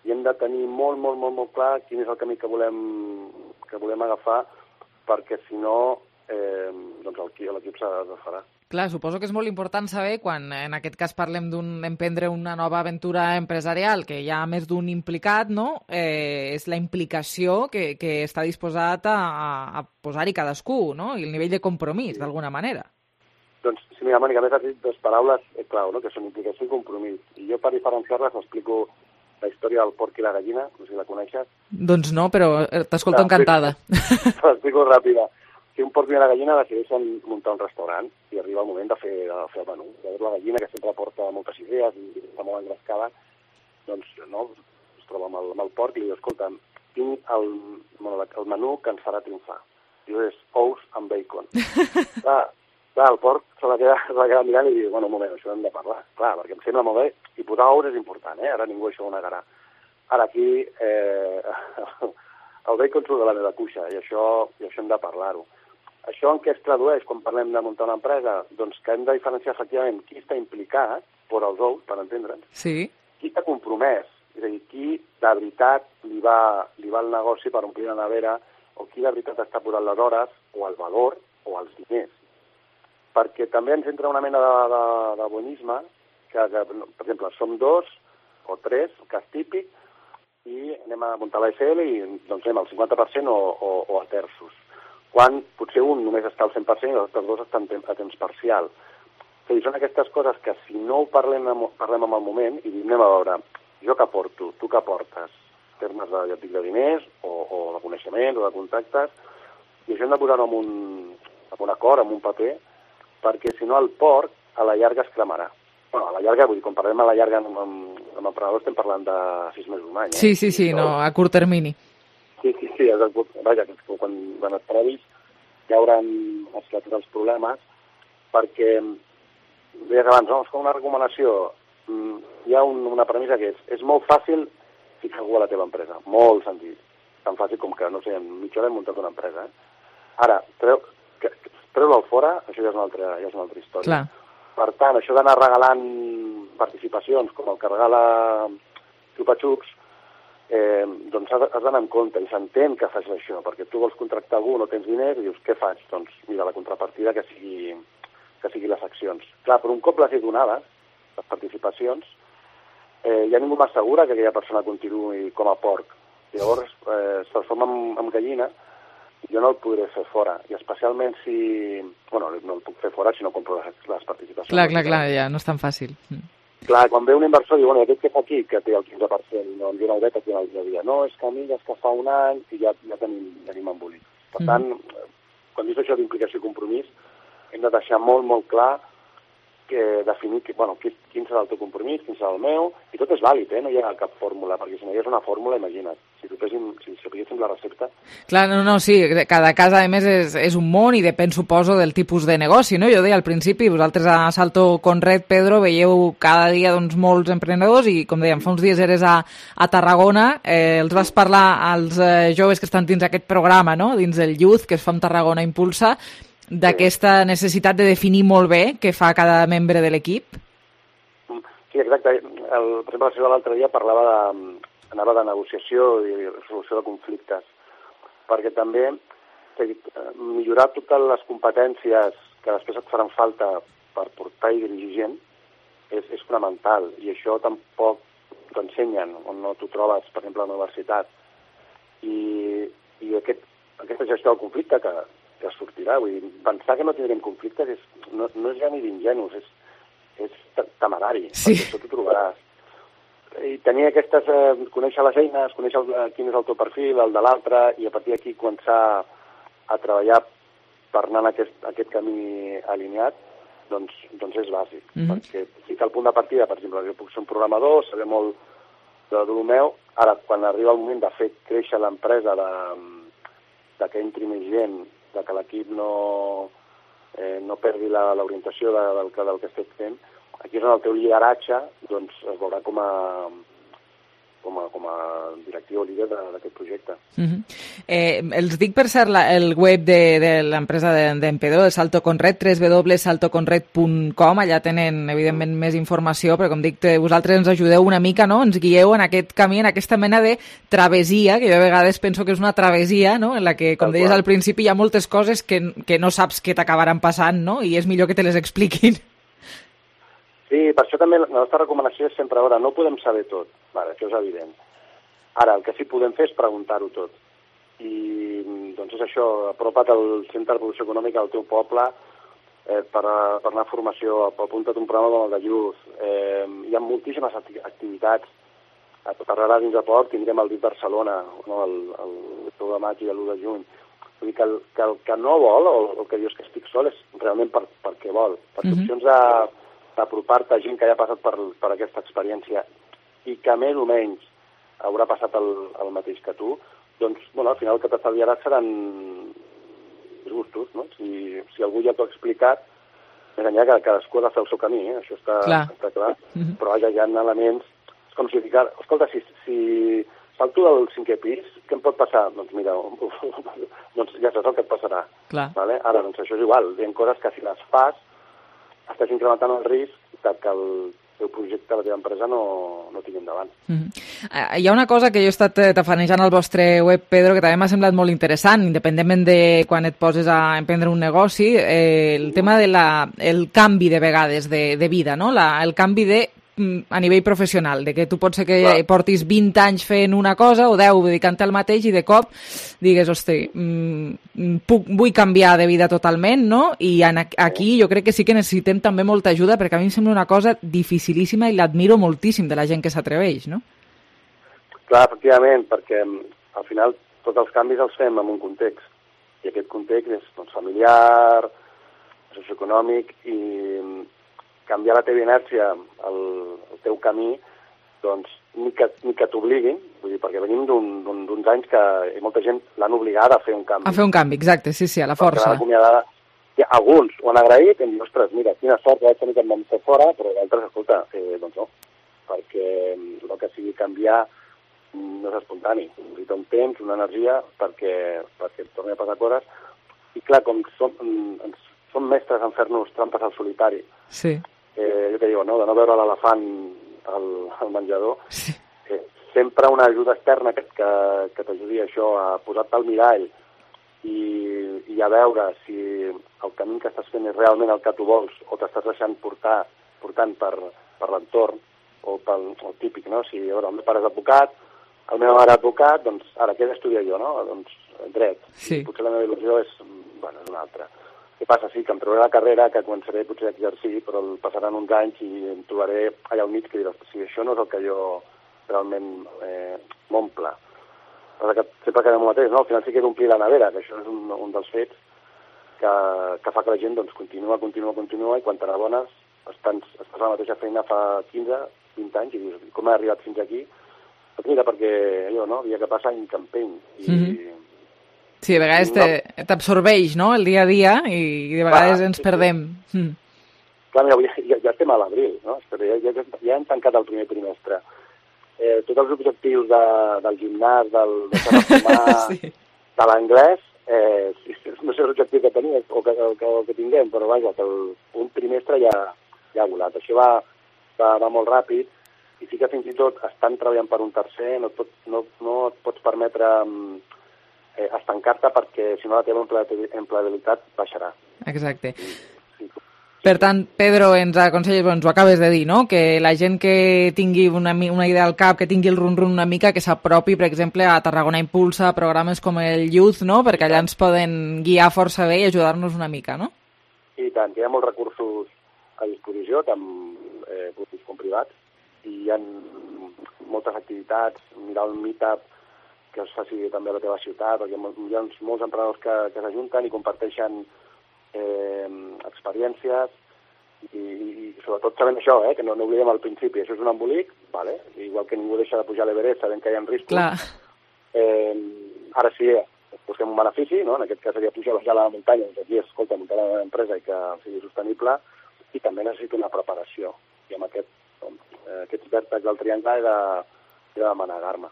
i hem de tenir molt, molt, molt, molt clar quin és el camí que volem agafar, perquè si no, doncs l'equip s'ha de farà. Clar, suposo que és molt important saber, quan en aquest cas parlem d'emprendre una nova aventura empresarial, que hi ha més d'un implicat, no? És la implicació que està disposat a posar-hi cadascú, no? I el nivell de compromís, d'alguna manera. Doncs, sí, mira, Mònica, a més has dit 2 paraules clau, no? Que són implicació i compromís. I jo, per diferenciar-les, explico la història del porc i la gallina, no sé si la coneixes. Doncs no, però t'escolto encantada. L'explico ràpida. Si un porc i una gallina decideixen muntar un restaurant i arriba el moment de fer el menú. Llavors la gallina, que sempre porta moltes idees i està molt engrescada, doncs no, es troba amb el porc i li diu, escolta, tinc el menú que ens farà triomfar. Diu, és ous amb bacon. Clar, el porc se la queda mirant i diu, bueno, un moment, això hem de parlar. Clar, perquè em sembla molt bé, i posar ous és important, ara ningú això ho negarà. Ara aquí el bacon surt de la meva cuixa i això hem de parlar-ho. Això en què es tradueix quan parlem de muntar una empresa? Doncs que hem de diferenciar efectivament qui està implicat, per als ous, per entendre'ns, sí. Qui està compromès, és a dir, qui de veritat li va el negoci per omplir la nevera, o qui de veritat està posant les hores, o el valor, o els diners. Perquè també ens entra una mena de bonisme, que per exemple, som 2 o 3, cas típic, i anem a muntar la SL i doncs anem al 50% o a terços. Quan potser un només està al 100% i els altres 2 estan a temps parcial. És a dir, són aquestes coses que si no ho parlem en el moment i anem a veure, jo què aporto, tu què aportes, en termes de diners o de coneixements o de contactes, i això hem de posar-ho en un acord, en un paper, perquè si no el porc a la llarga es cremarà. Bueno, a la llarga, vull dir, quan parlem a la llarga amb emprenedors estem parlant de 6 mesos, un any. Sí, no, a curt termini. Sí, vaja, quan et previs ja hauran esclatat els problemes, perquè, deies abans, no? És com una recomanació, hi ha una premissa que és molt fàcil ficar algú a la teva empresa, molt senzill, tan fàcil com que, no sé, en mitja hora hem muntat una empresa. Ara, treu-lo fora, això ja és una altra història. Clar. Per tant, això d'anar regalant participacions, com el que regala Xupa-Xups, doncs has d'anar en compte i s'entén que facis això, perquè tu vols contractar algú, no tens diners, i dius, què faig? Doncs mira, la contrapartida que sigui les accions. Clar, però un cop les he donades, les participacions, ja ningú m'assegura que aquella persona continuï com a porc. Llavors, es transforma en gallina i jo no el podré fer fora. I especialment si... Bueno, no el puc fer fora si no compro les participacions. Clar, ja no és tan fàcil. Clar, quan ve un inversor i diu, bueno, aquest que fa aquí, que té el 15%, no em diu el bet, aquí no el dia. No, és que a mi és que fa un any i ja tenim embolit. Per tant, quan dius això d'implicació i compromís, hem de deixar molt, molt clar definir quin serà el teu compromís, quin serà el meu, i tot és vàlid, no hi ha cap fórmula, perquè si no hi ha una fórmula, imagina't, si sapiguéssim la recepta. Clar, no, sí, cada cas, a més, és un món i depèn, suposo, del tipus de negoci, no? Jo deia al principi, vosaltres a Salto Conred, Pedro, veieu cada dia molts emprenedors i, com dèiem, fa uns dies eres a Tarragona, els vas parlar als joves que estan dins aquest programa, no? Dins del Youth, que es fa amb Tarragona Impulsa, d'aquesta necessitat de definir molt bé què fa cada membre de l'equip? Sí, exacte. Per exemple, la seva l'altre dia anava de negociació i resolució de conflictes, perquè també millorar totes les competències que després et faran falta per portar i dirigir gent és fonamental, i això tampoc t'ho ensenyen, on no t'ho trobes, per exemple, a la universitat. I aquesta gestió del conflicte que sortirà, vull dir, pensar que no tindrem conflictes no és ja ni d'ingenus, és temerari, sí. Perquè això t'ho trobaràs. I tenir conèixer les eines, conèixer quin és el teu perfil, el de l'altre, i a partir d'aquí començar a treballar per anar en aquest camí alineat, doncs és bàsic. Perquè sí que al punt de partida, per exemple, jo puc ser un programador, saber molt de meu, ara, quan arriba el moment de fer créixer l'empresa, de que entri més gent, de que l'equip no perdi l'orientació del que estem fent, aquí és on el teu lideratge doncs, es veurà com a directiu o líder d'aquest projecte. Els dic, per cert, el web de l'empresa d'en Pedro, de Salto Conred, www.saltoconred.com, allà tenen, evidentment, més informació, però com dic, vosaltres ens ajudeu una mica, no? Ens guieu en aquest camí, en aquesta mena de travessia, que jo a vegades penso que és una travessia, no? En la que, com deies al principi, hi ha moltes coses que no saps què t'acabaran passant, no? I és millor que te les expliquin. Sí, per això també la nostra recomanació és sempre, ara, no podem saber tot, vale, això és evident. Ara, el que sí podem fer és preguntar-ho tot. I doncs és això, apropa't al Centre d'Evolució Econòmica del teu poble per anar a formació, apunta't un programa com el de Youth. Hi ha moltíssimes activitats. A tot arrere dins de Port tindrem el DIT Barcelona, no, el 10 de maig i l'1 de juny. Vull dir que el que no vol, o el que dius que estic sol, és realment perquè vol. Perquè opcions d'apropar-te a gent que ja ha passat per aquesta experiència i que més o menys haurà passat el mateix que tu, doncs, bueno, al final el que t'estalviaràs seran disgustos, no? Si algú ja t'ho ha explicat, més enllà que cadascú ha de fer el seu camí, això està clar, però vaja, hi ha elements, és com si dic, escolta, si salto del 5è pis, què em pot passar? Doncs mira, doncs ja saps el que et passarà. Vale? Ara, doncs això és igual, hi ha coses que si les fas, estàs incrementant el risc que el teu projecte, la teva empresa, no tingui endavant. Hi ha una cosa que jo he estat tafanejant al vostre web, Pedro, que també m'ha semblat molt interessant, independentment de quan et poses a emprendre un negoci, el tema del canvi de vegades de vida, no? El canvi a nivell professional, de que tu pot ser que portis 20 anys fent una cosa o 10 dedicant-te al mateix i de cop digues, hosti, vull canviar de vida totalment, no? I aquí jo crec que sí que necessitem també molta ajuda, perquè a mi em sembla una cosa dificilíssima i l'admiro moltíssim de la gent que s'atreveix, no? Clar, efectivament, perquè al final tots els canvis els fem en un context, i aquest context és familiar, socioeconòmic, i canviar la teva inèrcia, el teu camí, doncs, ni que t'obliguin, vull dir, perquè venim d'uns anys que molta gent l'han obligada a fer un canvi. A fer un canvi, exacte, sí, a la força. Alguns ho han agraït, hem dit, ostres, mira, quina sort que vaig tenir que em vam fer fora, però d'altres, escolta, doncs no, perquè el que sigui canviar no és espontani. Necessita un temps, una energia, perquè et torni a passar coses. I clar, com som mestres en fer-nos trampes al solitari, jo que diu, no? De no veure l'elefant al menjador, sempre una ajuda externa que t'ajudi a això, a posar-te al mirall i a veure si el camí que estàs fent és realment el que tu vols o t'estàs deixant portant per l'entorn o pel típic, no? Si el meu pare és advocat, el meu mare és advocat, doncs ara què he d'estudiar jo, no? Doncs dret. Potser la meva il·lusió és una altra. Què passa? Sí, que em trobaré la carrera, que començaré potser a exercir, però passaran uns anys i em trobaré allà al mig que diré, si això no és el que jo realment m'omple. Sempre quedem el mateix, no? Al final sí que he d'omplir la nevera, que això és un dels fets que fa que la gent doncs, continua, i quan te n'adones estàs a la mateixa feina fa 15, 20 anys i dius, com he arribat fins aquí? Doncs mira, perquè allò, no? Dia que passa, any campeny. Sí, a vegades t'absorbeix, no?, el dia a dia i de vegades ens perdem. Clar, mira, ja estem a l'abril, no? Ja hem tancat el primer trimestre. Tots els objectius del gimnàs, del de l'anglès, no sé l'objectiu que tenim o que tinguem, però vaja, que un trimestre ja ha volat. Això va molt ràpid i sí que fins i tot estan treballant per un tercer, no et pots permetre estancar-te perquè si no la teva empleabilitat baixarà. Exacte. Per tant, Pedro, ens aconselles, ens ho acabes de dir, no?, que la gent que tingui una idea al cap, que tingui el run-run una mica, que s'apropi, per exemple, a Tarragona Impulsa, programes com el Youth, no?, perquè allà ens poden guiar força bé i ajudar-nos una mica, no? I tant, hi ha molts recursos a disposició, tant públics com privats, i hi ha moltes activitats, mirar el meetup que es faci també a la teva ciutat, perquè hi ha molts emprenedors que s'ajunten i comparteixen experiències, I sobretot sabent això, que no oblidem al principi, això és un embolic, vale? Igual que ningú deixa de pujar a l'Everest sabent que hi ha riscos. Clar. Ara sí, busquem un benefici, no? En aquest cas seria pujar a la muntanya, doncs aquí, escolta, muntar una empresa i que sigui sostenible, i també necessito una preparació. I amb aquests vèrtexs del triangle he de manegar-me.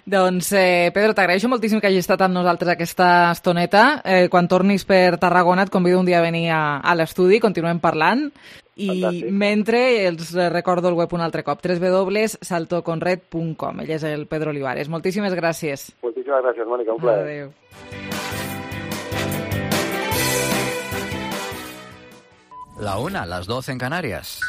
Doncs, Pedro, t'agraeixo moltíssim que hagis estat amb nosaltres aquesta estoneta. Quan tornis per Tarragona et convido un dia a venir a l'estudi, continuem parlant. I fantàstic. Mentre els recordo el web un altre cop, www.saltoconred.com. Ell és el Pedro Olivares. Moltíssimes gràcies. Moltíssimes gràcies, Mònica, un plaer. Adéu. La 1, las 12 en Canarias.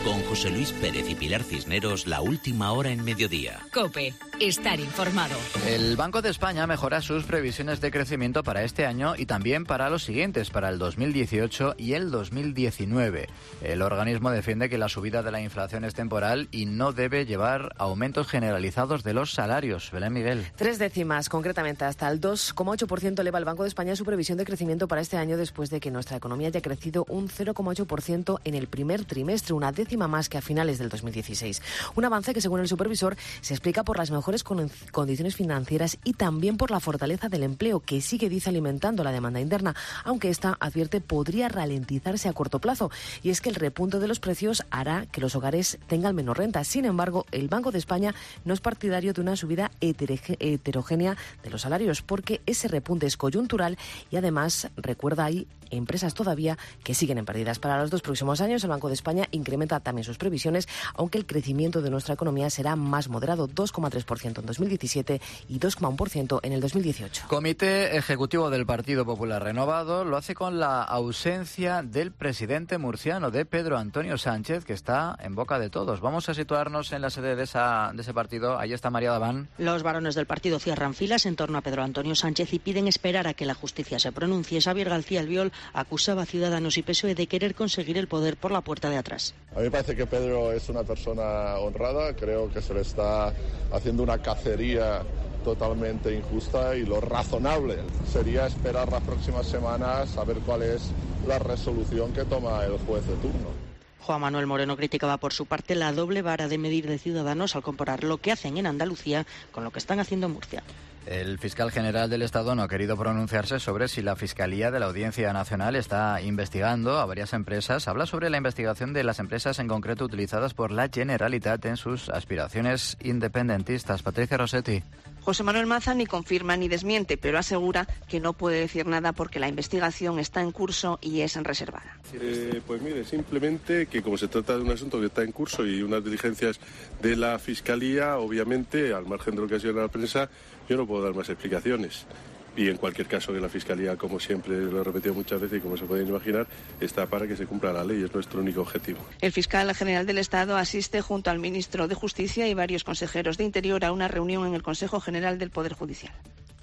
Con José Luis Pérez y Pilar Cisneros, la última hora en mediodía. COPE. Estar informado. El Banco de España mejora sus previsiones de crecimiento para este año y también para los siguientes, para el 2018 y el 2019. El organismo defiende que la subida de la inflación es temporal y no debe llevar a aumentos generalizados de los salarios. Belén Miguel. 3 décimas, concretamente hasta el 2,8% eleva el Banco de España su previsión de crecimiento para este año después de que nuestra economía haya crecido un 0,8% en el primer trimestre, una décima más que a finales del 2016. Un avance que, según el supervisor, se explica por las mejores condiciones financieras y también por la fortaleza del empleo, que sigue, dice, alimentando la demanda interna, aunque esta, advierte, podría ralentizarse a corto plazo. Y es que el repunte de los precios hará que los hogares tengan menos renta. Sin embargo, el Banco de España no es partidario de una subida heterogénea de los salarios, porque ese repunte es coyuntural y, además, recuerda, hay empresas todavía que siguen en pérdidas. Para los 2 próximos años, el Banco de España incrementa también sus previsiones, aunque el crecimiento de nuestra economía será más moderado, 2,3% en 2017 y 2,1% en el 2018. Comité Ejecutivo del Partido Popular renovado lo hace con la ausencia del presidente murciano, de Pedro Antonio Sánchez, que está en boca de todos. Vamos a situarnos en la sede de ese partido. Ahí está María Daván. Los varones del partido cierran filas en torno a Pedro Antonio Sánchez y piden esperar a que la justicia se pronuncie. Xavier García Albiol acusaba a Ciudadanos y PSOE de querer conseguir el poder por la puerta de atrás. A mí me parece que Pedro es una persona honrada, creo que se le está haciendo una cacería totalmente injusta, y lo razonable sería esperar las próximas semanas a ver cuál es la resolución que toma el juez de turno. Juan Manuel Moreno criticaba por su parte la doble vara de medir de Ciudadanos al comparar lo que hacen en Andalucía con lo que están haciendo en Murcia. El fiscal general del Estado no ha querido pronunciarse sobre si la Fiscalía de la Audiencia Nacional está investigando a varias empresas. Habla sobre la investigación de las empresas en concreto utilizadas por la Generalitat en sus aspiraciones independentistas. Patricia Rossetti. José Manuel Maza ni confirma ni desmiente, pero asegura que no puede decir nada porque la investigación está en curso y es reservada. Pues mire, simplemente que como se trata de un asunto que está en curso y unas diligencias de la Fiscalía, obviamente, al margen de lo que ha sido en la prensa, yo no puedo dar más explicaciones. Y en cualquier caso, que la Fiscalía, como siempre lo he repetido muchas veces y como se pueden imaginar, está para que se cumpla la ley, es nuestro único objetivo. El fiscal general del Estado asiste junto al ministro de Justicia y varios consejeros de Interior a una reunión en el Consejo General del Poder Judicial.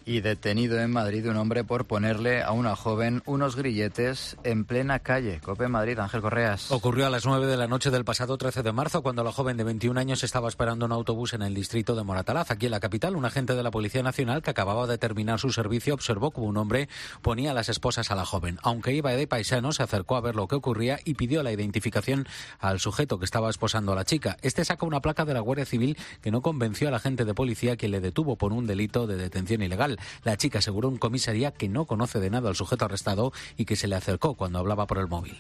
Y detenido en Madrid un hombre por ponerle a una joven unos grilletes en plena calle. COPE Madrid, Ángel Correas. Ocurrió a las 9 de la noche del pasado 13 de marzo, cuando la joven de 21 años estaba esperando un autobús en el distrito de Moratalaz, aquí en la capital. Un agente de la Policía Nacional que acababa de terminar su servicio observó como un hombre ponía las esposas a la joven. Aunque iba de paisano, se acercó a ver lo que ocurría y pidió la identificación al sujeto que estaba esposando a la chica. Este saca una placa de la Guardia Civil que no convenció al agente de policía, quien le detuvo por un delito de detención ilegal. La chica aseguró en comisaría que no conoce de nada al sujeto arrestado y que se le acercó cuando hablaba por el móvil.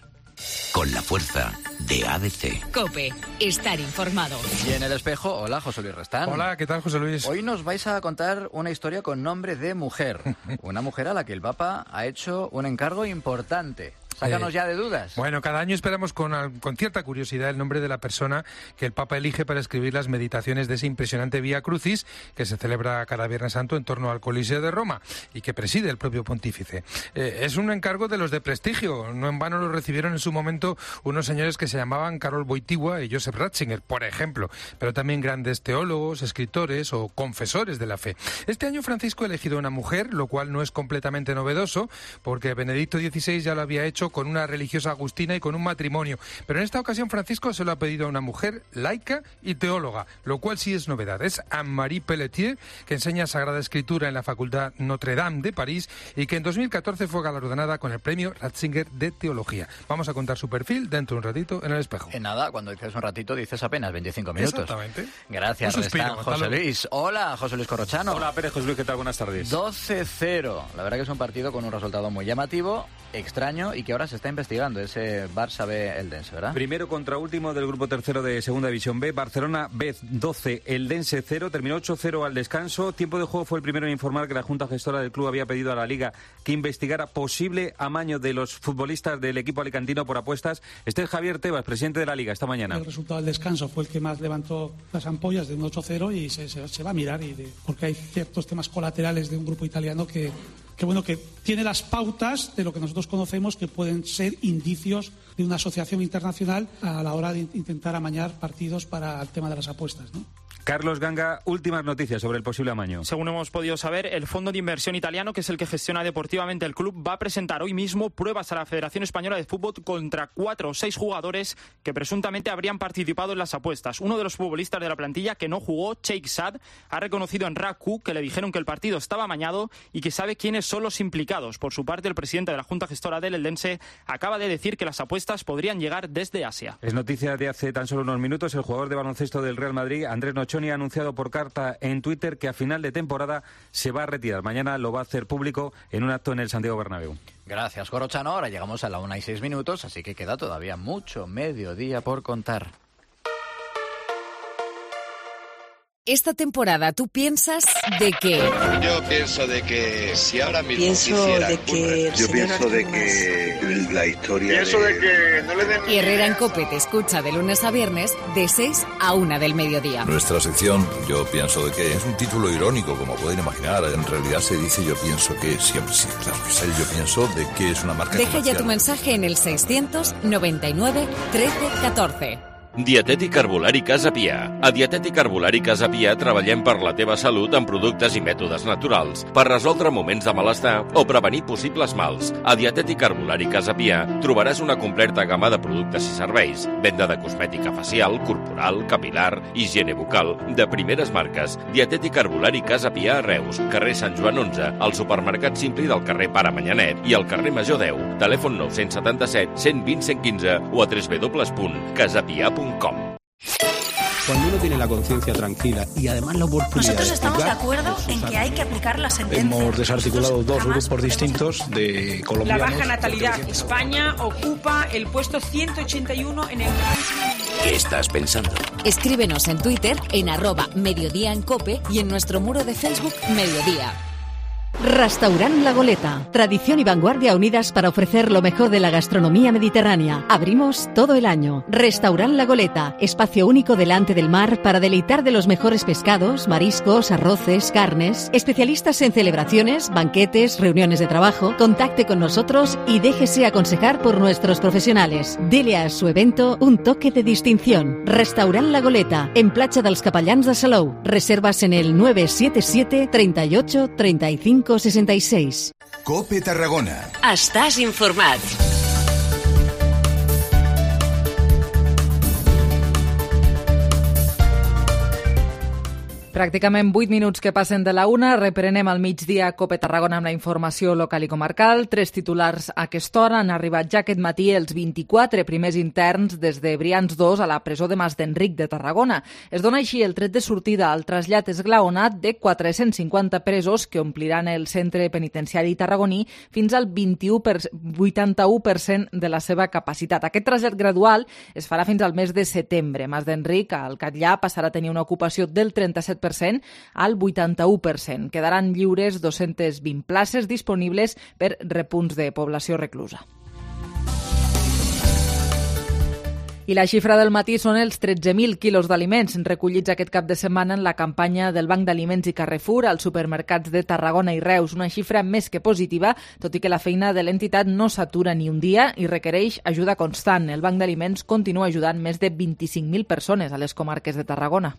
Con la fuerza de ABC. COPE. Estar informado. Y en El Espejo, hola, José Luis Restán. Hola, ¿qué tal, José Luis? Hoy nos vais a contar una historia con nombre de mujer. Una mujer a la que el Papa ha hecho un encargo importante. Sácanos ya de dudas. Bueno, cada año esperamos con cierta curiosidad el nombre de la persona que el Papa elige para escribir las meditaciones de ese impresionante Vía Crucis que se celebra cada Viernes Santo en torno al Coliseo de Roma y que preside el propio pontífice. Es un encargo de los de prestigio. No en vano lo recibieron en su momento unos señores que se llamaban Karol Wojtyła y Joseph Ratzinger, por ejemplo, pero también grandes teólogos, escritores o confesores de la fe. Este año Francisco ha elegido una mujer, lo cual no es completamente novedoso, porque Benedicto XVI ya lo había hecho con una religiosa agustina y con un matrimonio. Pero en esta ocasión Francisco se lo ha pedido a una mujer laica y teóloga, lo cual sí es novedad. Es Anne-Marie Pelletier, que enseña Sagrada Escritura en la Facultad Notre Dame de París y que en 2014 fue galardonada con el premio Ratzinger de Teología. Vamos a contar su perfil dentro de un ratito en El Espejo. En nada, cuando dices un ratito dices apenas 25 minutos. Exactamente. Gracias, Restán, José Luis. Hola, José Luis Corrochano. Hola, Pérez, José Luis, ¿qué tal? Buenas tardes. 12-0. La verdad que es un partido con un resultado muy llamativo, extraño y que ahora se está investigando, ese Barça B Eldense, ¿verdad? Primero contra último del grupo tercero de Segunda División B, Barcelona B 12, Eldense 0, terminó 8-0 al descanso. Tiempo de juego fue el primero en informar que la Junta Gestora del club había pedido a la Liga que investigara posible amaño de los futbolistas del equipo alicantino por apuestas. Este es Javier Tebas, presidente de la Liga, esta mañana. El resultado del descanso fue el que más levantó las ampollas de un 8-0 y se va a mirar, porque hay ciertos temas colaterales de un grupo italiano que tiene las pautas de lo que nosotros conocemos que pueden ser indicios de una asociación internacional a la hora de intentar amañar partidos para el tema de las apuestas, ¿no? Carlos Ganga, últimas noticias sobre el posible amaño. Según hemos podido saber, el fondo de inversión italiano, que es el que gestiona deportivamente el club, va a presentar hoy mismo pruebas a la Federación Española de Fútbol contra 4 o 6 jugadores que presuntamente habrían participado en las apuestas. Uno de los futbolistas de la plantilla que no jugó, Sheikh Saad, ha reconocido en RACU que le dijeron que el partido estaba amañado y que sabe quiénes son los implicados. Por su parte, el presidente de la Junta Gestora del Eldense acaba de decir que las apuestas podrían llegar desde Asia. Es noticia de hace tan solo unos minutos. El jugador de baloncesto del Real Madrid, Andrés Nochoni, ha anunciado por carta en Twitter que a final de temporada se va a retirar. Mañana lo va a hacer público en un acto en el Santiago Bernabéu. Gracias, Corrochano. Ahora llegamos a la 1:06, así que queda todavía mucho mediodía por contar. Esta temporada, ¿tú piensas de qué? Yo pienso de que si ahora mismo quisiera ocurrir, yo pienso de que la historia pienso de que no le den... Herrera en COPE te escucha de lunes a viernes de 6 a 1 del mediodía. Nuestra sección, yo pienso de que es un título irónico, como pueden imaginar. En realidad se dice yo pienso que siempre, sí, claro que sí. Yo pienso de que es una marca Deja comercial. ya tu mensaje en el 699 13 14. Dietètic Herbolari Casa Pia. A Dietètic Herbolari Casa Pia treballem per la teva salut amb productes i mètodes naturals, per resoldre moments de malestar o prevenir possibles mals. A Dietètic Herbolari Casa Pia trobaràs una completa gamma de productes i serveis, venda de cosmètica facial, corporal, capilar, higiene bucal, de primeres marques. Dietètic Herbolari Casa Pia a Reus, carrer Sant Joan 11, al supermercat Simpli del carrer Pare Manyanet i al carrer Major 10. Telèfon 977 120 115 o a www.casapia.com. Cuando uno tiene la conciencia tranquila y además la oportunidad Nosotros estamos de acuerdo en que hay que aplicar la sentencia. Hemos desarticulado dos grupos distintos de colombianos. La baja natalidad. España ocupa el puesto 181 en el ranking. ¿Qué estás pensando? Escríbenos en Twitter en @mediodía en COPE y en nuestro muro de Facebook Mediodía. Restaurant La Goleta. Tradición y vanguardia unidas para ofrecer lo mejor de la gastronomía mediterránea. Abrimos todo el año. Restaurant La Goleta. Espacio único delante del mar para deleitar de los mejores pescados, mariscos, arroces, carnes. Especialistas en celebraciones, banquetes, reuniones de trabajo. Contacte con nosotros y déjese aconsejar por nuestros profesionales. Dele a su evento un toque de distinción. Restaurant La Goleta. En Platja dels Capellans de Salou. Reservas en el 977 38 35 66. COPE Tarragona. Estàs informat. Pràcticament 8 minuts que passen de la 1. Reprenem al migdia COPE Tarragona amb la informació local i comarcal. 3 titulars a aquesta hora. Han arribat ja aquest matí els 24 primers interns des de Brians 2 a la presó de Mas d'Enric de Tarragona. Es dona així el tret de sortida al trasllat esglaonat de 450 presos que ompliran el centre penitenciari tarragoní fins al 81% de la seva capacitat. Aquest trasllat gradual es farà fins al mes de setembre. Mas d'Enric, al Catllà, passarà a tenir una ocupació del 37% al 81%. Quedaran lliures 220 places disponibles per repunts de població reclusa. I la xifra del matí són els 13.000 quilos d'aliments recollits aquest cap de setmana en la campanya del Banc d'Aliments i Carrefour als supermercats de Tarragona i Reus. Una xifra més que positiva, tot i que la feina de l'entitat no s'atura ni un dia i requereix ajuda constant. El Banc d'Aliments continua ajudant més de 25.000 persones a les comarques de Tarragona.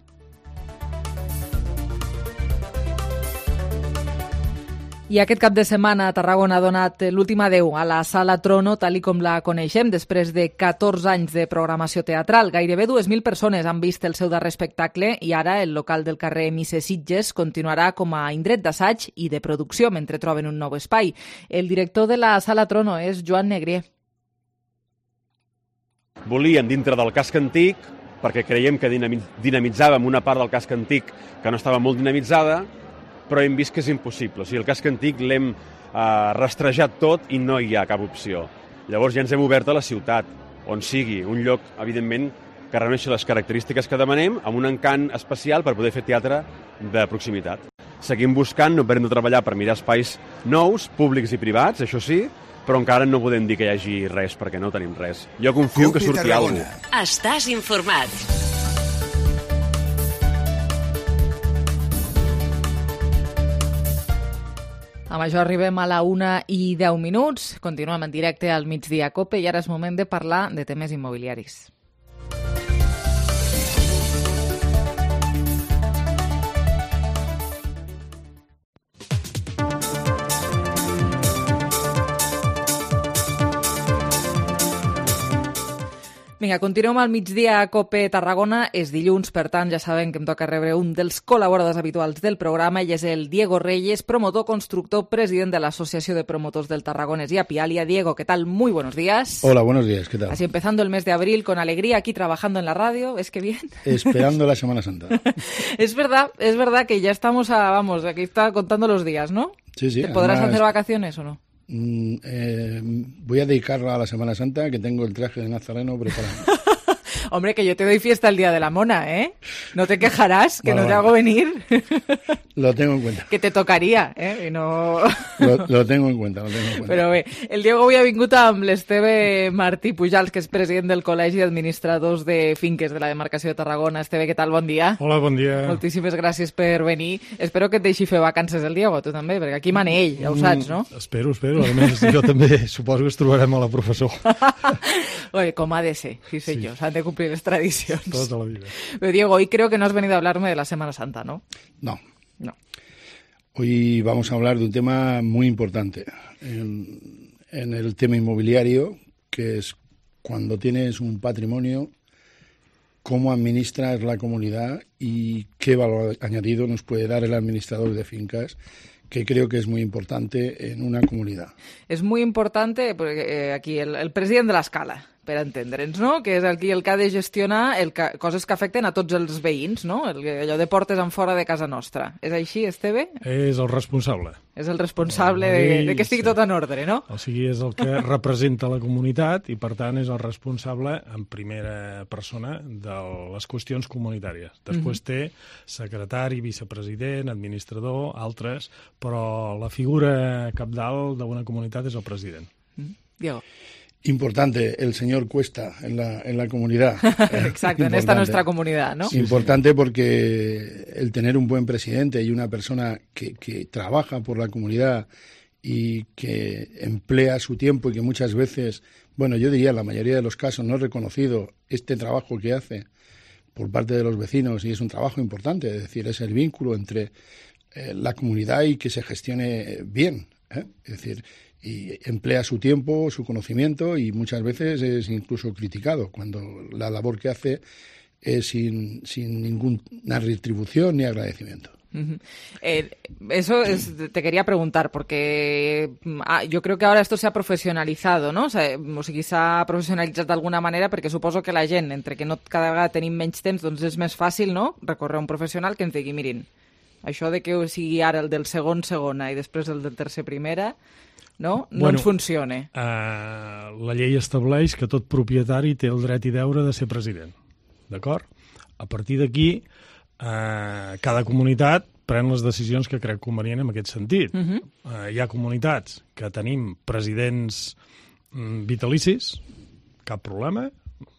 I aquest cap de setmana a Tarragona ha donat l'últim adeu a la Sala Trono, tal com la coneixem, després de 14 anys de programació teatral. Gairebé 2.000 persones han vist el seu darrer espectacle i ara el local del carrer Misses Sitges continuarà com a indret d'assaig i de producció mentre troben un nou espai. El director de la Sala Trono és Joan Negrier. Volíem dintre del casc antic, perquè creiem que dinamitzàvem una part del casc antic que no estava molt dinamitzada, però hem vist que és impossible. O sigui, el casc antic l'hem rastrejat tot i no hi ha cap opció. Llavors ja ens hem obert a la ciutat, on sigui un lloc, evidentment, que reuneixi les característiques que demanem, amb un encant especial per poder fer teatre de proximitat. Seguim buscant, no parem de treballar per mirar espais nous, públics i privats, això sí, però encara no podem dir que hi hagi res, perquè no tenim res. Jo confio que surti alguna cosa. Estàs informat. Amb això arribem a la 1:10. Continuem en directe al Migdia Cope i ara és moment de parlar de temes immobiliaris. Vinga, continuem al Migdia a Cope Tarragona. És dilluns, per tant, ja sabem que em toca rebre un dels col·laboradors habituals del programa. Ell és el Diego Reyes, promotor, constructor, president de la Asociación de Promotores del Tarragonés y Apialia. Diego, ¿qué tal? Muy buenos días. Hola, buenos días, ¿qué tal? Así empezando el mes de abril con alegría, aquí trabajando en la radio, ¿es que bien? Esperando la Semana Santa. Es verdad que ya estamos aquí está contando los días, ¿no? Sí, sí. ¿Te podrás hacer vacaciones o no? Voy a dedicarla a la Semana Santa, que tengo el traje de nazareno preparado. Hombre, que yo te doy fiesta el día de la mona, ¿eh? No te quejarás, que no te hago venir. Lo tengo en cuenta. Que te tocaria, ¿eh? I no... Lo tengo en cuenta, Però bé, el Diego avui ha vingut amb l'Esteve Martí Pujals, que és president del Col·legi d'Administradors de Finques de la demarcació de Tarragona. Esteve, què tal? Bon dia. Hola, bon dia. Moltíssimes gràcies per venir. Espero que et deixi fer vacances el Diego, tu també, perquè aquí mana ell, ja ho saps, no? Espero. A més, jo també suposo que ens trobarem a la professor. Oye, com ha de ser, sí senyor, s'han de cumplir les tradicions. Tota la vida. Pero Diego, hoy creo que no has venido a hablarme de la Semana Santa, ¿no? No. Hoy vamos a hablar de un tema muy importante en el tema inmobiliario, que es cuando tienes un patrimonio, cómo administras la comunidad y qué valor añadido nos puede dar el administrador de fincas, que creo que es muy importante en una comunidad. És molt important perquè aquí el president de l'escala, per entendre'ns, no? Que és aquí el que ha de gestionar coses que afecten a tots els veïns, no? Allò de portes en fora de casa nostra. És així, Esteve? És el responsable. És el responsable de que estigui tot en ordre, no? O sigui, és el que representa la comunitat i, per tant, és el responsable en primera persona de les qüestions comunitàries. Després té secretari, vicepresident, administrador, altres, però la figura capdalt d'una comunitat és el president. Diego. Importante el señor Cuesta en la comunidad. Exacto, en esta nuestra comunidad, ¿no? Importante porque el tener un buen presidente y una persona que trabaja por la comunidad y que emplea su tiempo y que muchas veces, bueno, yo diría en la mayoría de los casos no es reconocido este trabajo que hace por parte de los vecinos, y es un trabajo importante, es decir, es el vínculo entre la comunidad y que se gestione bien, ¿eh? Es decir, y emplea su tiempo, su conocimiento, y muchas veces es incluso criticado cuando la labor que hace es sin ninguna retribución ni agradecimiento. Eso te quería preguntar, porque yo creo que ahora esto se ha profesionalizado, no? O sigui, s'ha professionalitzat d'alguna manera, perquè suposo que la gent, entre que cada vegada tenim menys temps, doncs és més fàcil, no?, recórrer a un professional que ens digui, mirin, això de que sigui ara el del segona i després el del tercer primera, no ens funciona. La llei estableix que tot propietari té el dret i deure de ser president, d'acord? A partir d'aquí, cada comunitat pren les decisions que crec convenient en aquest sentit. Hi ha comunitats que tenim presidents vitalicis, cap problema,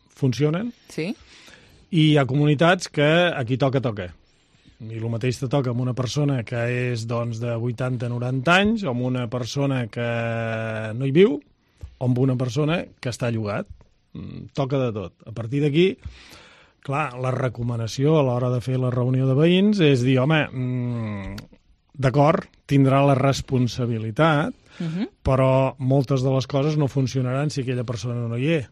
funcionen. Sí. I hi ha comunitats que aquí toca. I el mateix te toca amb una persona que és doncs, de 80-90 anys, o amb una persona que no hi viu, o amb una persona que està llogat. Toca de tot. A partir d'aquí, clar, la recomanació a l'hora de fer la reunió de veïns és dir, home, d'acord, tindrà la responsabilitat, però moltes de les coses no funcionaran si aquella persona no hi és.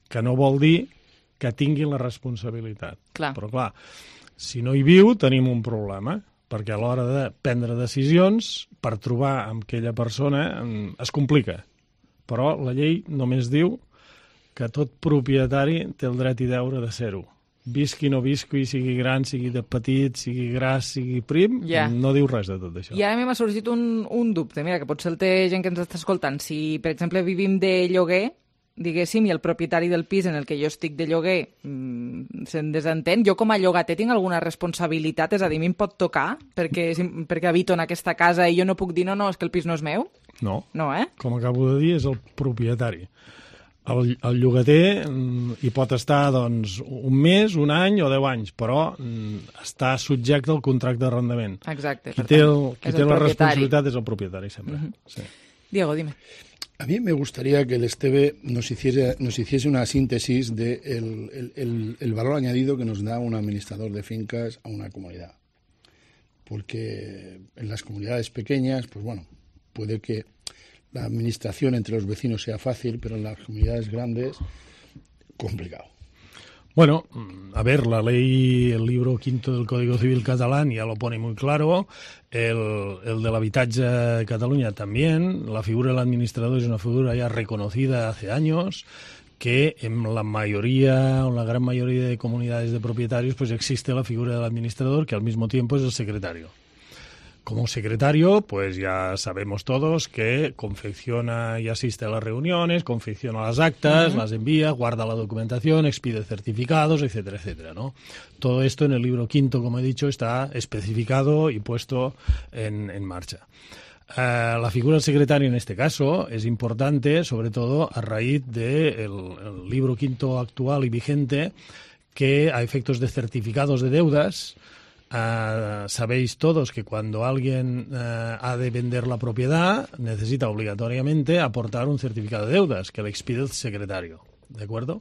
Que no vol dir que tinguin la responsabilitat. Clar. Però clar, si no hi viu tenim un problema, perquè a l'hora de prendre decisions, per trobar amb aquella persona es complica. Però la llei només diu que tot propietari té el dret i deure de ser-ho. Visqui, no visqui, sigui gran, sigui de petit, sigui gras, sigui prim, no diu res de tot això. I ara m'ha sorgit un dubte, mira, que potser el té gent que ens està escoltant. Si, per exemple, vivim de lloguer, diguéssim, i el propietari del pis en el que jo estic de lloguer se'n desentén, jo com a llogater tinc alguna responsabilitat? És a dir, a mi em pot tocar perquè habito en aquesta casa i jo no puc dir no, és que el pis no és meu? No. No, Com acabo de dir, és el propietari. El llogater hi pot estar doncs, un mes, un any o 10 anys, però està subjecte al contracte d'arrendament. Exacte. Qui té la responsabilitat és el propietari, sempre. Sí. Diego, dime. A mí me gustaría que el Esteve nos hiciese una síntesis de el valor añadido que nos da un administrador de fincas a una comunidad. Porque en las comunidades pequeñas, pues bueno, puede que la administración entre los vecinos sea fácil, pero en las comunidades grandes, complicado. Bueno, a ver, la ley, el libro quinto del Código Civil catalán ya lo pone muy claro, el del habitatge de Cataluña también, la figura del administrador es una figura ya reconocida hace años, que en la mayoría o la gran mayoría de comunidades de propietarios pues existe la figura del administrador, que al mismo tiempo es el secretario. Como secretario, pues ya sabemos todos que confecciona y asiste a las reuniones, confecciona las actas, las envía, guarda la documentación, expide certificados, etcétera, etcétera, ¿no? Todo esto en el libro quinto, como he dicho, está especificado y puesto en marcha. La figura del secretario en este caso es importante, sobre todo a raíz del libro quinto actual y vigente, que a efectos de certificados de deudas, sabéis todos que cuando alguien ha de vender la propiedad necesita obligatoriamente aportar un certificado de deudas que le expide el secretario, ¿de acuerdo?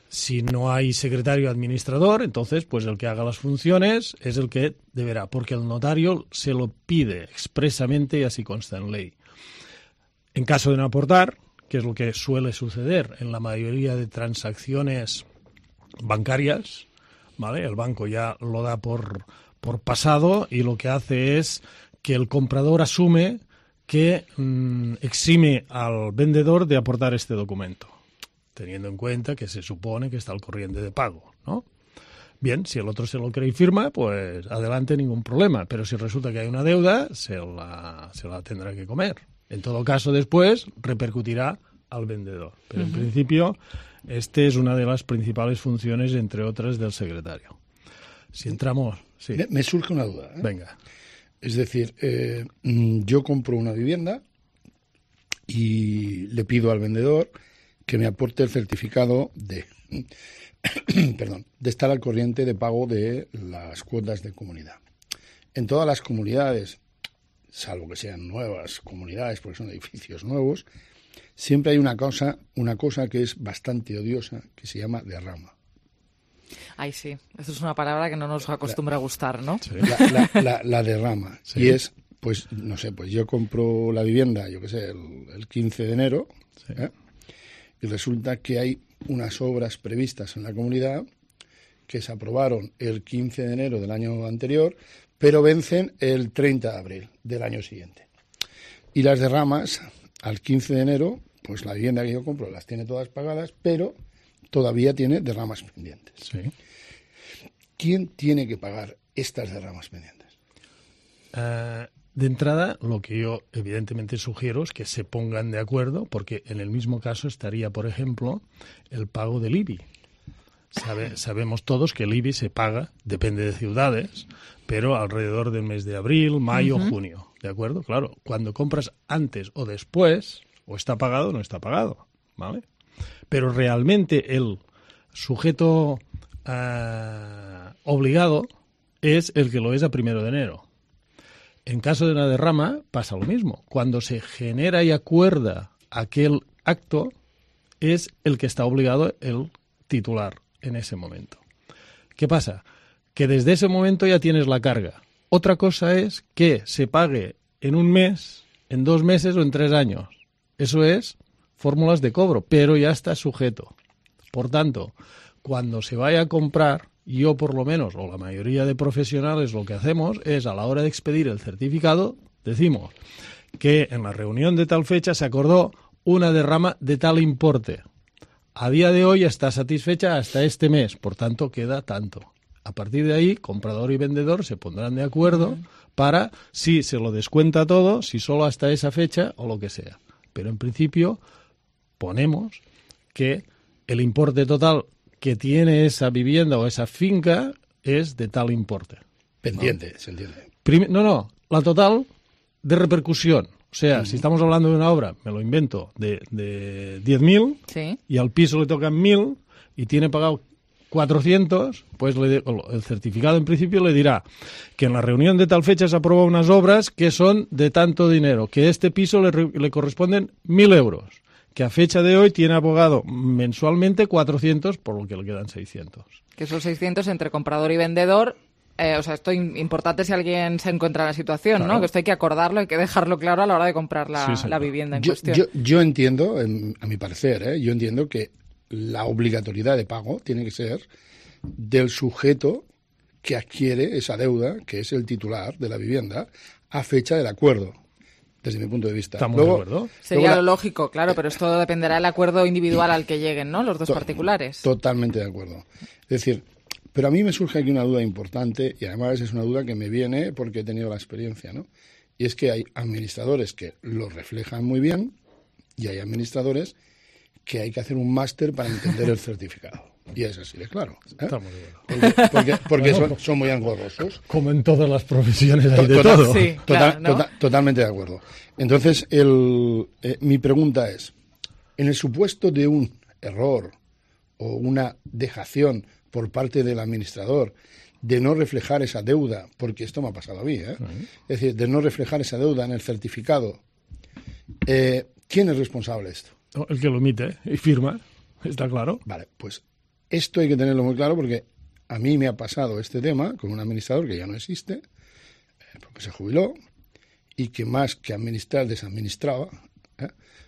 Si no hay secretario administrador, entonces pues el que haga las funciones es el que deberá, porque el notario se lo pide expresamente y así consta en ley. En caso de no aportar, que es lo que suele suceder en la mayoría de transacciones bancarias, ¿vale? El banco ya lo da por pasado y lo que hace es que el comprador asume que exime al vendedor de aportar este documento, teniendo en cuenta que se supone que está al corriente de pago, ¿no? Bien, si el otro se lo cree y firma, pues adelante, ningún problema. Pero si resulta que hay una deuda, se la tendrá que comer. En todo caso, después repercutirá al vendedor. Pero en principio, este es una de las principales funciones, entre otras, del secretario. Si entramos... Sí. Me surge una duda. Venga. Es decir, yo compro una vivienda y le pido al vendedor que me aporte el certificado de estar al corriente de pago de las cuotas de comunidad. En todas las comunidades, salvo que sean nuevas comunidades, porque son edificios nuevos, siempre hay una cosa que es bastante odiosa, que se llama derrama. Ay, sí. Eso es una palabra que no nos acostumbra a gustar, ¿no? Sí. La derrama. Sí. Y es, pues, no sé, pues yo compro la vivienda, yo qué sé, el 15 de enero, sí. Y resulta que hay unas obras previstas en la comunidad que se aprobaron el 15 de enero del año anterior, pero vencen el 30 de abril del año siguiente. Y las derramas, al 15 de enero, pues la vivienda que yo compro las tiene todas pagadas, pero todavía tiene derramas pendientes. Sí. ¿Quién tiene que pagar estas derramas pendientes? De entrada, lo que yo evidentemente sugiero es que se pongan de acuerdo, porque en el mismo caso estaría, por ejemplo, el pago del IBI. Sabemos todos que el IBI se paga, depende de ciudades, pero alrededor del mes de abril, mayo, junio, ¿de acuerdo? Claro, cuando compras antes o después, o está pagado o no está pagado, ¿vale? Pero realmente el sujeto obligado es el que lo es a 1 de enero. En caso de una derrama pasa lo mismo. Cuando se genera y acuerda aquel acto, es el que está obligado el titular en ese momento. ¿Qué pasa? Que desde ese momento ya tienes la carga. Otra cosa es que se pague en un mes, en 2 meses o en 3 años. Eso es fórmulas de cobro, pero ya está sujeto. Por tanto, cuando se vaya a comprar, yo por lo menos, o la mayoría de profesionales, lo que hacemos es, a la hora de expedir el certificado, decimos que en la reunión de tal fecha se acordó una derrama de tal importe. A día de hoy está satisfecha hasta este mes, por tanto queda tanto. A partir de ahí, comprador y vendedor se pondrán de acuerdo para si se lo descuenta todo, si solo hasta esa fecha o lo que sea. Pero en principio ponemos que el importe total que tiene esa vivienda o esa finca es de tal importe. Pendiente, ¿no? Se entiende. La total de repercusión. O sea, si estamos hablando de una obra, me lo invento, de 10.000 sí. Y al piso le tocan 1.000 y tiene pagado 400, pues el certificado en principio le dirá que en la reunión de tal fecha se aprueban unas obras que son de tanto dinero, que a este piso le corresponden 1.000 euros, que a fecha de hoy tiene abogado mensualmente 400, por lo que le quedan 600. Que son 600 entre comprador y vendedor. Esto es importante si alguien se encuentra en la situación, claro. ¿No? Que esto hay que acordarlo, hay que dejarlo claro a la hora de comprar la vivienda en cuestión. Yo entiendo, a mi parecer, yo entiendo que la obligatoriedad de pago tiene que ser del sujeto que adquiere esa deuda, que es el titular de la vivienda, a fecha del acuerdo, desde mi punto de vista. ¿Estamos de acuerdo? Sería lo lógico, claro, pero esto dependerá del acuerdo individual al que lleguen, ¿no? Los dos particulares. Totalmente de acuerdo. Es decir, pero a mí me surge aquí una duda importante, y además es una duda que me viene porque he tenido la experiencia, ¿no? Y es que hay administradores que lo reflejan muy bien y hay administradores que hay que hacer un máster para entender el certificado. Y es así de claro. Estamos de acuerdo. Porque son muy engorrosos. Como en todas las profesiones hay de todo. Sí, claro, ¿no? Totalmente de acuerdo. Entonces, mi pregunta es, en el supuesto de un error o una dejación por parte del administrador de no reflejar esa deuda, porque esto me ha pasado a mí, es decir, de no reflejar esa deuda en el certificado, ¿quién es responsable de esto? El que lo emite y firma, está claro. Vale, pues esto hay que tenerlo muy claro porque a mí me ha pasado este tema con un administrador que ya no existe, porque se jubiló y que más que administrar desadministraba,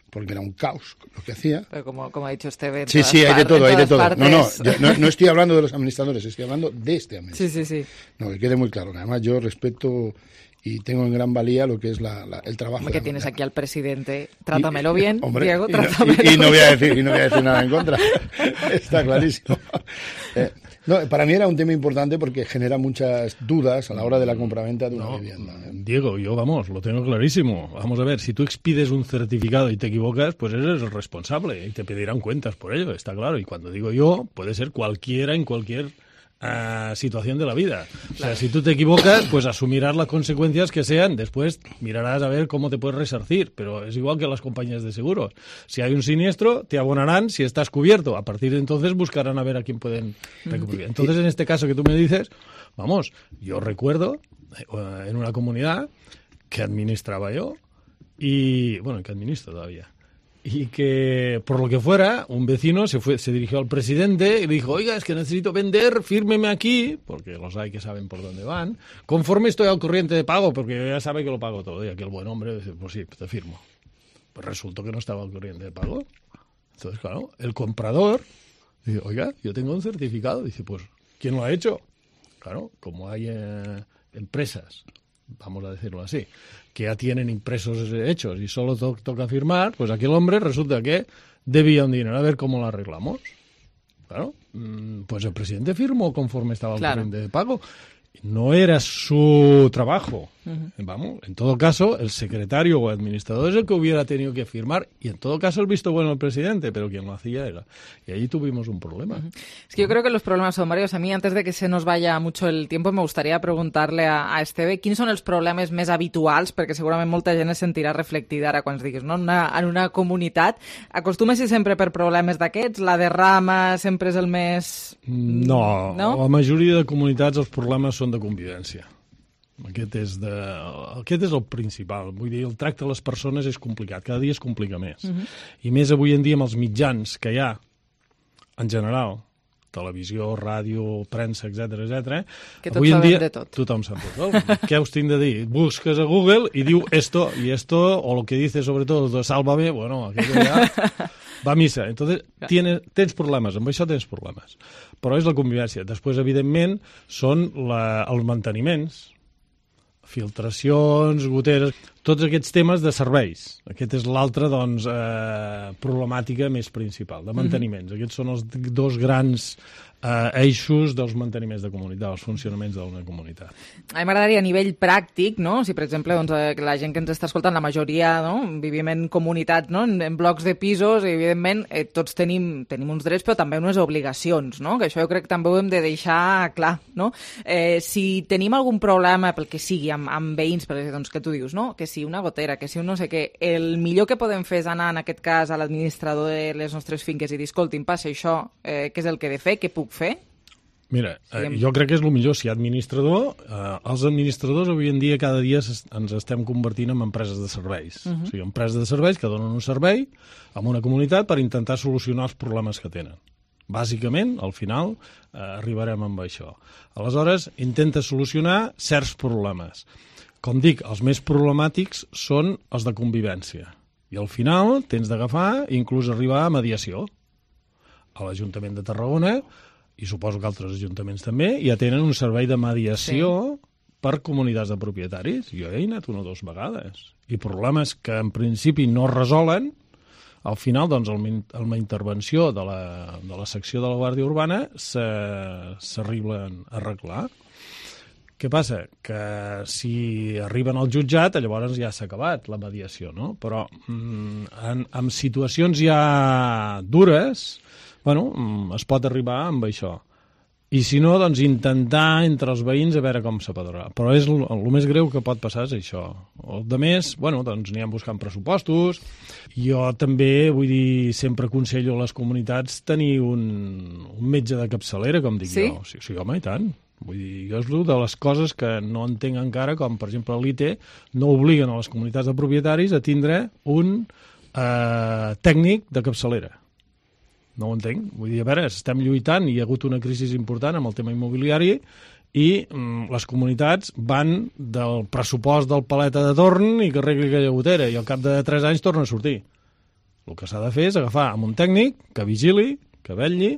porque era un caos lo que hacía. Pero como ha dicho Esteve... Sí, hay de todo, hay de todo. No estoy hablando de los administradores, estoy hablando de este administrador. Sí. No, que quede muy claro. Además, yo respeto y tengo en gran valía lo que es el trabajo. Que tienes aquí al presidente, trátamelo bien, hombre, Diego, trátamelo bien. Y no voy a decir nada en contra. Está clarísimo. Para mí era un tema importante porque genera muchas dudas a la hora de la compraventa de una vivienda. Diego, yo lo tengo clarísimo. Vamos a ver, si tú expides un certificado y te equivocas, pues eres el responsable y te pedirán cuentas por ello, está claro. Y cuando digo yo, puede ser cualquiera en cualquier situación de la vida. O sea, si tú te equivocas, pues asumirás las consecuencias que sean. Después mirarás a ver cómo te puedes resarcir. Pero es igual que las compañías de seguros. Si hay un siniestro, te abonarán si estás cubierto. A partir de entonces buscarán a ver a quién pueden recubrir. Entonces, en este caso que tú me dices, yo recuerdo en una comunidad que administraba yo y, que administro todavía. Y que, por lo que fuera, un vecino se dirigió al presidente y le dijo, oiga, es que necesito vender, fírmeme aquí, porque los hay que saben por dónde van, conforme estoy al corriente de pago, porque ya sabe que lo pago todo. Y aquel buen hombre dice, pues sí, te firmo. Pues resultó que no estaba al corriente de pago. Entonces, claro, el comprador dice, oiga, yo tengo un certificado. Dice, pues, ¿quién lo ha hecho? Claro, como hay empresas, vamos a decirlo así, que ya tienen impresos hechos y solo toca firmar, pues aquel hombre resulta que debía un dinero. A ver cómo lo arreglamos. Claro, pues el presidente firmó conforme estaba al corriente de pago. No era su trabajo. En todo caso, el secretario o administrador es el que hubiera tenido que firmar y en todo caso el visto bueno del presidente, pero quien lo hacía era. Y allí tuvimos un problema. Es que yo creo que los problemas son varios. A mí, antes de que se nos vaya mucho el tiempo, me gustaría preguntarle a Esteve quins són els problemes més habituals, perquè segurament molta gent es sentirà reflectida ara quan es diguis, no? En una comunitat. Acostuma a ser sempre per problemes d'aquests? La derrama sempre és el més... No, la majoria de comunitats els problemes són de convivència. Aquest és el principal. Vull dir, el tracte de les persones és complicat. Cada dia es complica més. I més avui en dia amb els mitjans que hi ha, en general, televisió, ràdio, premsa, etc. Que tots sabem de tot. Tothom sap de tot. Què us tinc de dir? Busques a Google i diu esto, o lo que dice sobre todo, sálvame, bueno, aquello ja va a missa. Entonces, tens problemes, amb això tens problemes. Però és la convivència. Després, evidentment, són els manteniments, filtracions, goteres, tots aquests temes de serveis. Aquest és l'altra, doncs, problemàtica més principal, de manteniments. Aquests són els dos grans eixos dels manteniments de comunitat, els funcionaments d'una comunitat. A mi m'agradaria a nivell pràctic, no? Si, per exemple, doncs, la gent que ens està escoltant, la majoria, no? Vivim en comunitats, no? En blocs de pisos, i evidentment tots tenim uns drets, però també unes obligacions, no? Que això jo crec que també ho hem de deixar clar, no? Si tenim algun problema, pel que sigui, amb veïns, doncs, que tu dius, no? Que si una gotera, que si un no sé què, el millor que podem fer és anar, en aquest cas, a l'administrador de les nostres finques i dir, escolti, em passa això, què és el que he de fer, què puc fer? Mira, jo crec que és el millor. Si hi ha administrador, els administradors avui en dia cada dia ens estem convertint en empreses de serveis. O sigui, empreses de serveis que donen un servei a una comunitat per intentar solucionar els problemes que tenen. Bàsicament, al final, arribarem amb això. Aleshores, intenta solucionar certs problemes. Com dic, els més problemàtics són els de convivència. I al final tens d'agafar i inclús arribar a mediació. A l'Ajuntament de Tarragona, i suposo que altres ajuntaments també, ja tenen un servei de mediació per comunitats de propietaris. Jo he anat 1 o 2 vegades. I problemes que en principi no es resolen, al final, doncs, amb la intervenció de la secció de la Guàrdia Urbana s'arriben a arreglar. Què passa? Que si arriben al jutjat, llavors ja s'ha acabat la mediació, no? Però en situacions ja dures, bueno, es pot arribar amb això. I si no, doncs intentar entre els veïns a veure com s'apadrona. Però el més greu que pot passar és això. El de més, bueno, doncs anirem buscant pressupostos. Jo també, vull dir, sempre aconsello a les comunitats tenir un metge de capçalera, com dic jo. Sí, home, i tant. Vull dir, jo és una de les coses que no entenc encara, com per exemple l'ITE no obliguen a les comunitats de propietaris a tindre un tècnic de capçalera. No ho entenc. Vull dir, a veure, estem lluitant i hi ha hagut una crisi important amb el tema immobiliari i les comunitats van del pressupost del paleta de torn i que arregli aquella gotera i al cap de 3 anys torna a sortir. El que s'ha de fer és agafar amb un tècnic que vigili, que vetlli,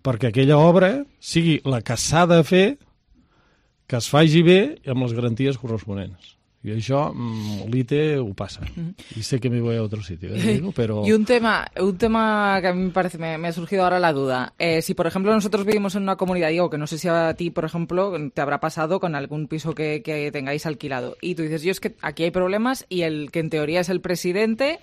perquè aquella obra sigui la que s'ha de fer, que es faci bé i amb les garanties corresponents. I això l'ITE ho pasa. Y sé que me voy a otro sitio, pero... Y un tema que a mí me ha surgido ahora la duda. Si, por ejemplo, nosotros vivimos en una comunidad, digo, que no sé si a ti, por ejemplo, te habrá pasado con algún piso que tengáis alquilado. Y tú dices, yo es que aquí hay problemas y el que en teoría es el presidente...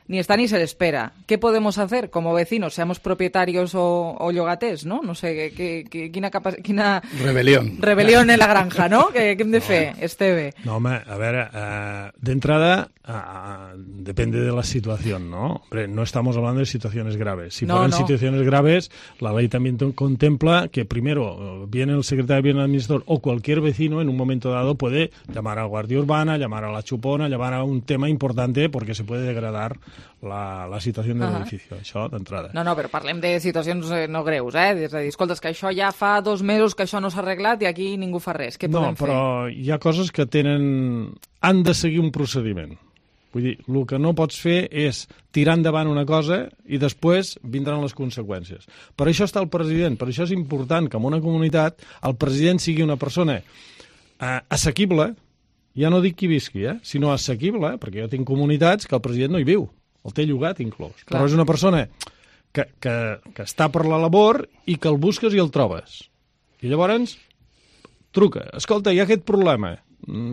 ni está ni se le espera. ¿Qué podemos hacer como vecinos, seamos propietarios o llogaters, no? No sé, quina... Rebel·lió en la granja, no? Què hem de fer, Esteve? No, home, a veure, d'entrada, depende de la situación, ¿no? Hombre, no estamos hablando de situaciones graves. Si fueran situaciones graves, la ley también contempla que primero viene el secretario, viene el administrador o cualquier vecino en un momento dado puede llamar a la Guardia Urbana, llamar a la Chupona, llamar a un tema importante porque se puede degradar la situació de l'edifici, això d'entrada. No, però parlem de situacions no greus, És a dir, escolta, és que això ja fa 2 mesos que això no s'ha arreglat i aquí ningú fa res. Què podem fer? No, però hi ha coses que han de seguir un procediment. Vull dir, el que no pots fer és tirar endavant una cosa i després vindran les conseqüències. Per això està el president, per això és important que en una comunitat el president sigui una persona assequible, ja no dic qui visqui, sinó assequible, perquè jo tinc comunitats que el president no hi viu, el té llogat inclòs. Clar. Però és una persona que està per la labor i que el busques i el trobes. I llavors truca, escolta, hi ha aquest problema,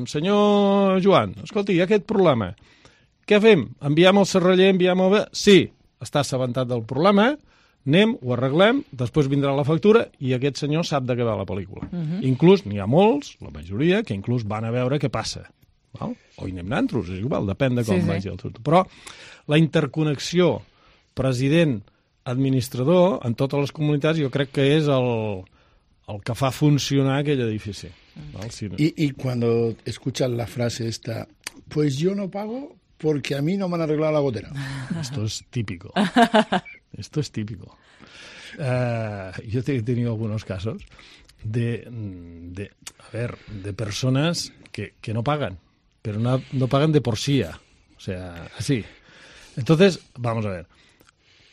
senyor Joan, escolta, hi ha aquest problema. Què fem? Enviem el serraller, enviem el... Sí, està assabentat del problema, anem, ho arreglem, després vindrà la factura i aquest senyor sap de què va la pel·lícula. Inclús n'hi ha molts, la majoria, que inclús van a veure què passa. Val? O hi anem nantros, és igual, depèn de com vagi el tot. Però la interconnexió president-administrador en totes les comunitats jo crec que és el que fa funcionar aquell edifici. ¿Vale? Si no... Y cuando escuchan la frase esta, pues yo no pago porque a mí no me han arreglado la gotera. Esto es típico. Esto es típico. yo he tenido algunos casos de personas que no pagan, pero no pagan de por sí. O sea, así. Entonces, vamos a ver.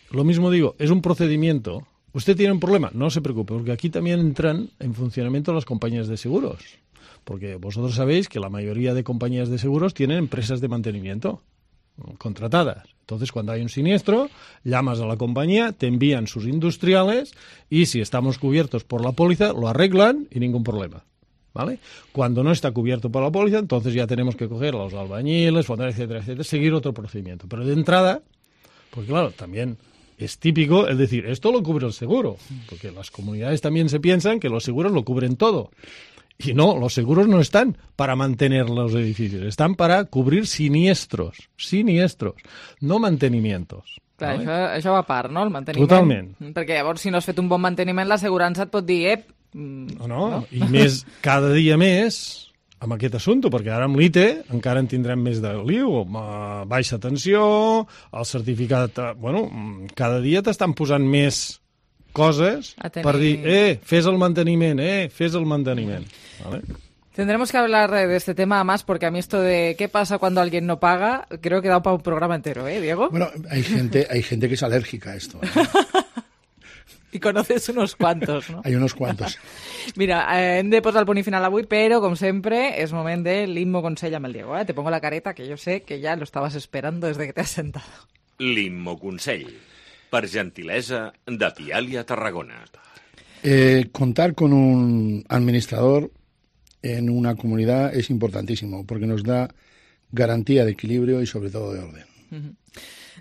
Lo mismo digo, es un procedimiento. ¿Usted tiene un problema? No se preocupe, porque aquí también entran en funcionamiento las compañías de seguros. Porque vosotros sabéis que la mayoría de compañías de seguros tienen empresas de mantenimiento contratadas. Entonces, cuando hay un siniestro, llamas a la compañía, te envían sus industriales y si estamos cubiertos por la póliza, lo arreglan y ningún problema. ¿Vale? Cuando no está cubierto por la póliza, entonces ya tenemos que coger a los albañiles, etcétera, etcétera, seguir otro procedimiento. Pero de entrada, porque claro, también es típico el decir, esto lo cubre el seguro, porque las comunidades también se piensan que los seguros lo cubren todo. Y no, los seguros no están para mantener los edificios, están para cubrir siniestros, no mantenimientos. Clar, això va a part, no?, el manteniment. Totalment. Perquè llavors, si no has fet un bon manteniment, l'assegurança et pot dir, no? I més, cada dia més, amb aquest assumpte, perquè ara amb l'ITE encara en tindrem més de lío, baixa tensió, el certificat... Bueno, cada dia t'estan posant més coses per dir, fes el manteniment, fes el manteniment. ¿Vale? Tendremos que hablar de este tema más, porque a mí esto de qué pasa cuando alguien no paga, creo que da para un programa entero, Diego? Bueno, hay gente que es alérgica a esto. Y conoces unos cuantos, no? Hay unos cuantos. Mira, hem de posar el punt i final avui, però, com sempre, és moment de l'Immo Consell amb el Diego. Te pongo la careta, que yo sé que ya lo estabas esperando desde que te has sentado. L'Immo Consell, per gentilesa de Pialia Tarragona. Contar con un administrador en una comunidad es importantísimo, porque nos da garantía de equilibrio y sobre todo de orden.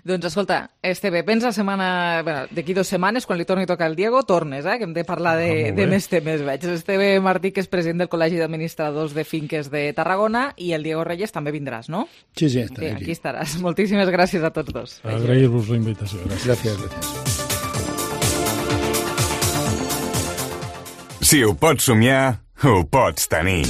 Doncs escolta, Esteve, pensa d'aquí 2 setmanes, quan li torni a tocar el Diego, tornes, que hem de parlar de més temes. Veig Esteve Martí, que és president del Col·legi d'Administradors de Finques de Tarragona, i el Diego Reyes també vindràs, no? Sí, estaré aquí. Aquí estaràs. Moltíssimes gràcies a tots dos. Agrair-vos la invitació. Gràcies. Si ho pots somiar, ho pots tenir.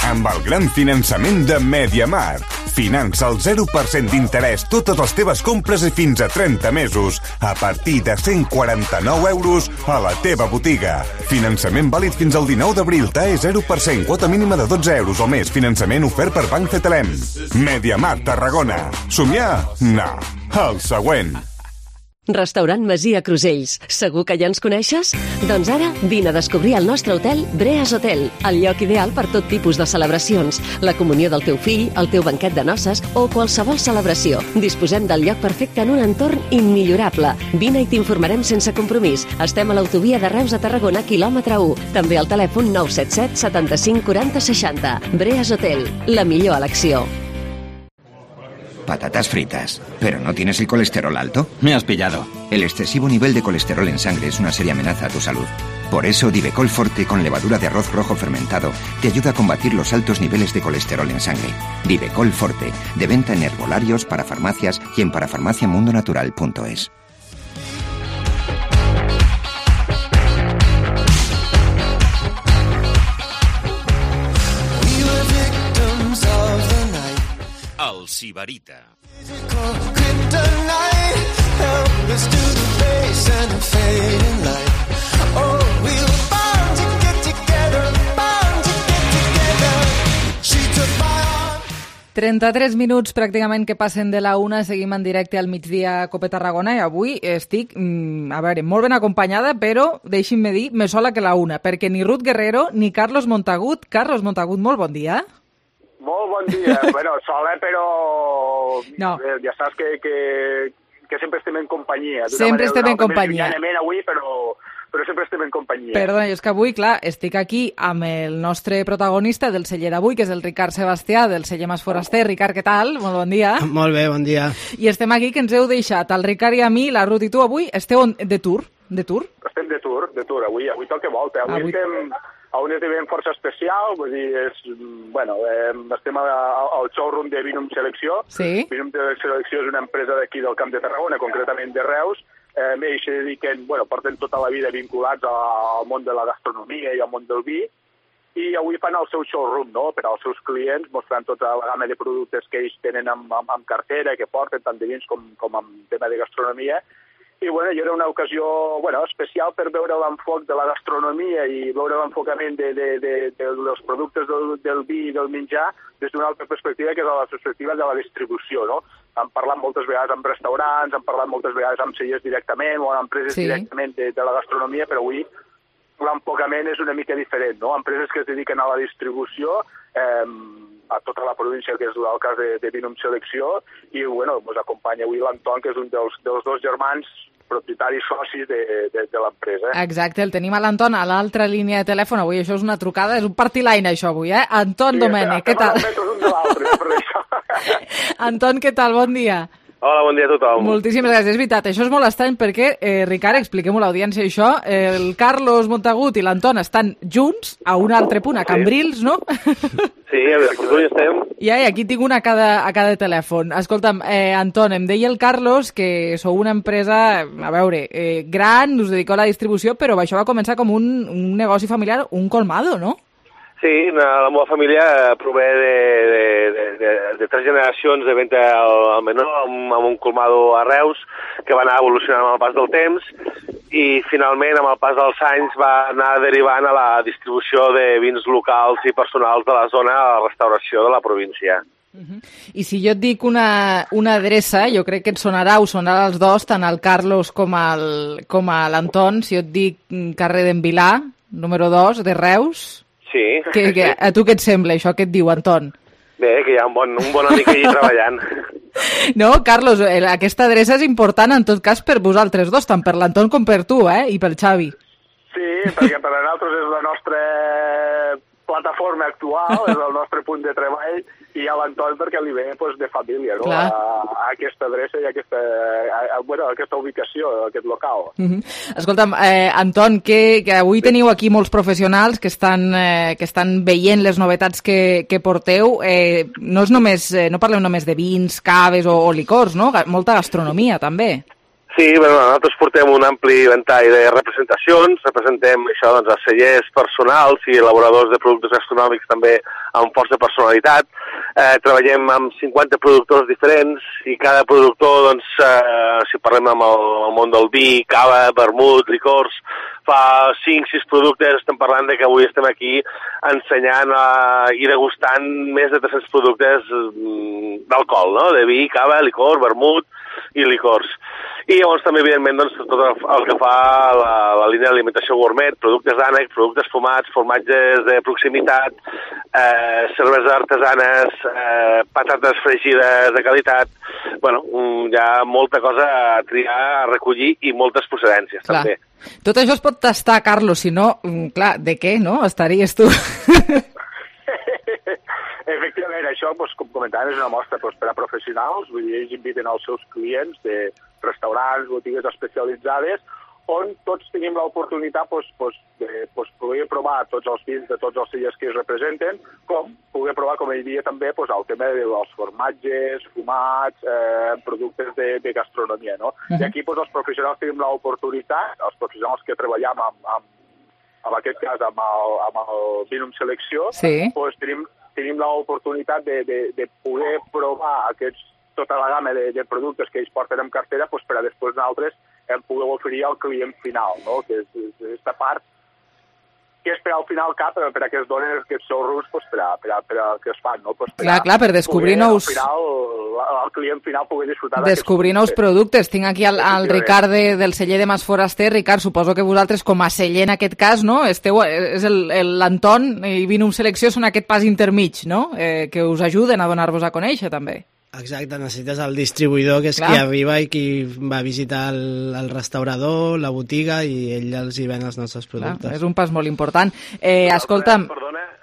Amb el gran finançament de MediaMarkt. Finança al 0% d'interès totes les teves compres i fins a 30 mesos, a partir de 149 euros a la teva botiga. Finançament vàlid fins al 19 d'abril, TAE 0%, quota mínima de 12 euros o més. Finançament ofert per Banc Cetelem. MediaMarkt Tarragona. Somiar? No. El següent. Restaurant Masia Crusells. Segur que ja ens coneixes? Doncs ara vine a descobrir el nostre hotel Breas Hotel, el lloc ideal per tot tipus de celebracions, la comunió del teu fill, el teu banquet de noces o qualsevol celebració. Disposem del lloc perfecte en un entorn immillorable. Vine i t'informarem sense compromís. Estem a l'autovia de Reus a Tarragona, quilòmetre 1. També al telèfon 977 75 40 60. Breas Hotel, la millor elecció. Patatas fritas. ¿Pero no tienes el colesterol alto? Me has pillado. El excesivo nivel de colesterol en sangre es una seria amenaza a tu salud. Por eso, Divecol Forte con levadura de arroz rojo fermentado te ayuda a combatir los altos niveles de colesterol en sangre. Divecol Forte, de venta en herbolarios, para farmacias y en parafarmaciamundonatural.es. El Sibarita. Oh, we were bound to get together, bound to get together. She took my arm. 33 minuts pràcticament que passen de la 1, seguim en directe al migdia a Cope Tarragona i avui estic, a veure, molt ben acompanyada, però deixin-me dir, més sola que la 1, perquè ni Ruth Guerrero ni Carlos Montagut. Carlos Montagut, molt bon dia. Molt bon dia. Bueno, sola, però no. Ja saps que sempre estem en companyia. Sempre estem en companyia. Avui, però sempre estem en companyia. Perdona, és que avui, clar, estic aquí amb el nostre protagonista del celler d'avui, que és el Ricard Sebastià, del celler Mas Foraster. Ricard, què tal? Molt bon dia. Molt bé, bon dia. I estem aquí, que ens heu deixat, el Ricard i a mi, la Ruth i tu, avui esteu de tour? De tour? Estem de tour. Avui toca volta. Avui estem a un esdeveniment força especial, vull dir, estem al showroom de Vinum Selecció. Sí. Vinum Selecció és una empresa d'aquí del Camp de Tarragona, concretament de Reus. Ells se dediquen, porten tota la vida vinculats al món de la gastronomia i al món del vi, i avui fan el seu showroom, no?, per als seus clients, mostrant tota la gamma de productes que ells tenen amb cartera, que porten tant de vins com amb tema de gastronomia, I bueno, era una ocasió especial per veure l'enfoc de la gastronomia i veure l'enfocament dels productes del vi i del menjar des d'una altra perspectiva, que és la perspectiva de la distribució, no? Hem parlat moltes vegades amb restaurants, hem parlat moltes vegades amb cellers directament o amb empreses directament de la gastronomia, però avui l'enfocament és una mica diferent, no? Empreses que es dediquen a la distribució, a tota la província, que és el cas de Vinum Selecció, i ens acompanya avui l'Anton, que és un dels dos germans propietaris socis de l'empresa. Exacte, el tenim a l'Anton a l'altra línia de telèfon. Avui això és una trucada, és un party line això avui, eh? Anton Domènech, què tal? Anton, què tal? Bon dia. Hola, bon dia a tothom. Moltíssimes gràcies. És veritat, això és molt estrany perquè, Ricard, expliquem-ho a l'audiència això, el Carlos Montagut i l'Anton estan junts a un altre punt, a Cambrils, no? Sí, a Veracruz estem. I aquí tinc una a cada telèfon. Escolta'm, Anton, em deia el Carlos que sou una empresa, a veure, gran, us dediqueu a la distribució, però això va començar com un negoci familiar, un colmado, no? Sí, la meva família prové de 3 generacions de venda al menor, amb un colmado a Reus, que va anar evolucionant amb el pas del temps, i finalment, amb el pas dels anys, va anar derivant a la distribució de vins locals i personals de la zona a la restauració de la província. I si jo et dic una adreça, jo crec que us sonarà als dos, tant al Carlos com a l'Anton, si jo et dic carrer d'en Vilà, número 2, de Reus... Sí. A tu què et sembla això? Què et diu, Anton? Bé, que hi ha un bon amic allí treballant. No, Carlos, aquesta adreça és important en tot cas per vosaltres dos, tant per l'Anton com per tu, i pel Xavi. Sí, perquè per a nosaltres és la nostra plataforma actual, és el nostre punt de treball, i a l'Anton perquè li ve de família, no? A aquesta adreça i a aquesta ubicació, a aquest local. Escolta'm, Anton, que avui teniu aquí molts professionals que estan veient les novetats que porteu. No parleu només de vins, caves o licors, no? Molta gastronomia, també. Sí, nosaltres portem un ampli ventall de representacions, representem això, a cellers personals i elaboradors de productes gastronòmics també amb força personalitat. Treballem amb 50 productors diferents i cada productor, si parlem amb el món del vi, cava, vermut, licors, fa 5-6 productes. Estem parlant de que avui estem aquí ensenyant i degustant més de 300 productes d'alcohol, no? De vi, cava, licor, vermut i licors. I llavors també, evidentment, tot el que fa la línia d'alimentació gourmet, productes d'ànec, productes fumats, formatges de proximitat, cerveses artesanes, patates fregides de qualitat. Bueno, hi ha molta cosa a triar, a recollir i moltes procedències, també. Tot això es pot tastar, Carlos, si no, clar, de què, no? Estaries tu... Efectivament, això, com comentàvem, és una mostra per a professionals, vull dir, ells inviten els seus clients de restaurants, botigues especialitzades, on tots tenim l'oportunitat de poder provar tots els vins de tots els cellers que es representen, com poder provar, com ell dia també, el tema dels formatges, fumats, productes de gastronomia, no? I aquí els professionals tenim l'oportunitat, els professionals que treballem en aquest cas amb el Vinum Selecció, tenim l'oportunitat de poder provar tota la gamma de productes que ells porten en cartera per a després nosaltres poder oferir al client final, no? Que és aquesta part que és per al final per a que es donen aquests showrooms per a que es fan, no? Clar, per descobrir nous... Al final, el client final pugui disfrutar descobrir nous productes. Tinc aquí el Ricard del celler de Mas Foraster. Ricard, suposo que vosaltres, com a celler en aquest cas, no? És l'Anton i Vinum Selecció són aquest pas intermig, no? Que us ajuden a donar-vos a conèixer, també. Exacte, necessites el distribuïdor, que és qui arriba i qui va visitar el restaurador, la botiga, i ell els hi ven els nostres productes. Clar, és un pas molt important. Escolta'm,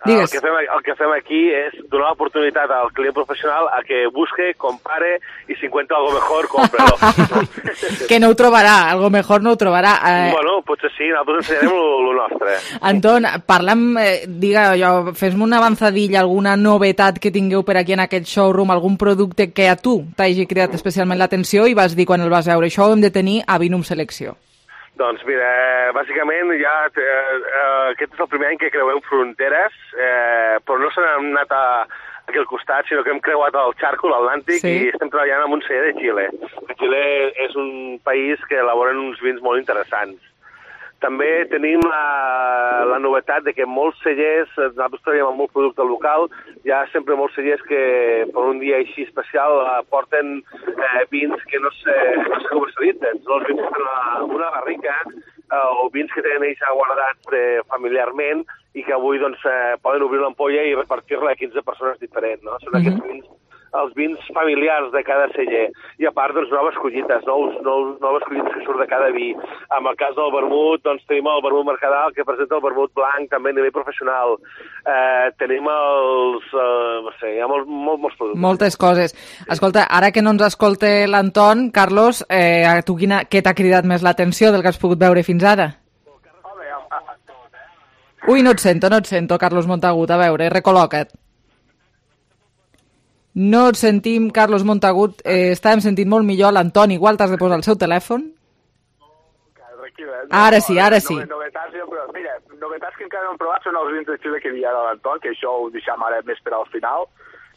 digues. El que fem aquí és donar l'oportunitat al client professional a que busque, compare, i si encuentra algo mejor, cómprelo. Que no ho trobarà, algo mejor no ho trobarà. Bueno, potser sí, nosaltres ensenyarem el nostre. Anton, fes-me una avançadilla, alguna novetat que tingueu per aquí en aquest showroom, algun producte que a tu t'hagi cridat especialment l'atenció i vas dir quan el vas veure, això ho hem de tenir a Vinum Selecció. Doncs mira, bàsicament aquest és el primer any que creuem fronteres, però no se n'hem anat aquí al costat, sinó que hem creuat el xarco, l'Atlàntic, i estem treballant amb un celler de Xile. Xile és un país que elaboren uns vins molt interessants. També tenim la novetat de que molts cellers, nosaltres treballem amb molt producte local, hi ha sempre molts cellers que per un dia així especial porten vins que no se comercialitzen. Són els vins que tenen una barrica o vins que tenen ells guardats familiarment i que avui doncs, poden obrir l'ampolla i repartir-la a 15 persones diferents. No? Són aquests vins, els vins familiars de cada celler. I a part, doncs, noves collites, noves collites que surt de cada vi. En el cas del vermut, doncs, tenim el vermut Mercadal, que presenta el vermut blanc, també a nivell professional. Tenim els... no sé, hi ha molts productes. Moltes coses. Escolta, ara que no ens escolta l'Anton, Carlos, a tu què t'ha cridat més l'atenció del que has pogut veure fins ara? Ui, no et sento, Carlos Montagut. A veure, recol·loca't. No et sentim, Carlos Montagut. Estàvem sentint molt millor l'Anton. Igual t'has de posar el seu telèfon. Ara sí. Novetats, però mira, novetats que encara no hem provat són els vins de Xile que hi ha de l'Anton, que això ho deixem ara més per al final.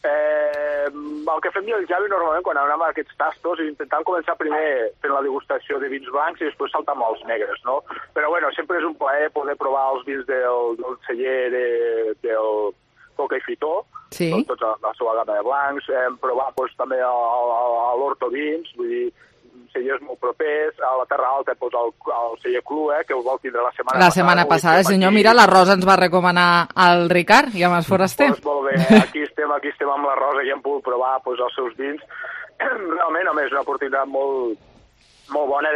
El que fem jo i el Javi normalment quan anem a aquests tastos és intentar començar primer fent la degustació de vins blancs i després saltar amb els negres, no? Però bueno, sempre és un plaer poder provar els vins del celler del Coca i Fitó, sí. Tots la seva gamma de blancs. Hem provat també a l'Horto Vins, vull dir, cellers molt propers. A la Terra Alta el celler Clua, que ho vol tindre la setmana passada. La setmana passada, senyor, mira, la Rosa ens va recomanar al Ricard i a Mas Foraster. Doncs molt bé, aquí estem amb la Rosa i hem pogut provar els seus vins. Realment, home, és una oportunitat molt bona,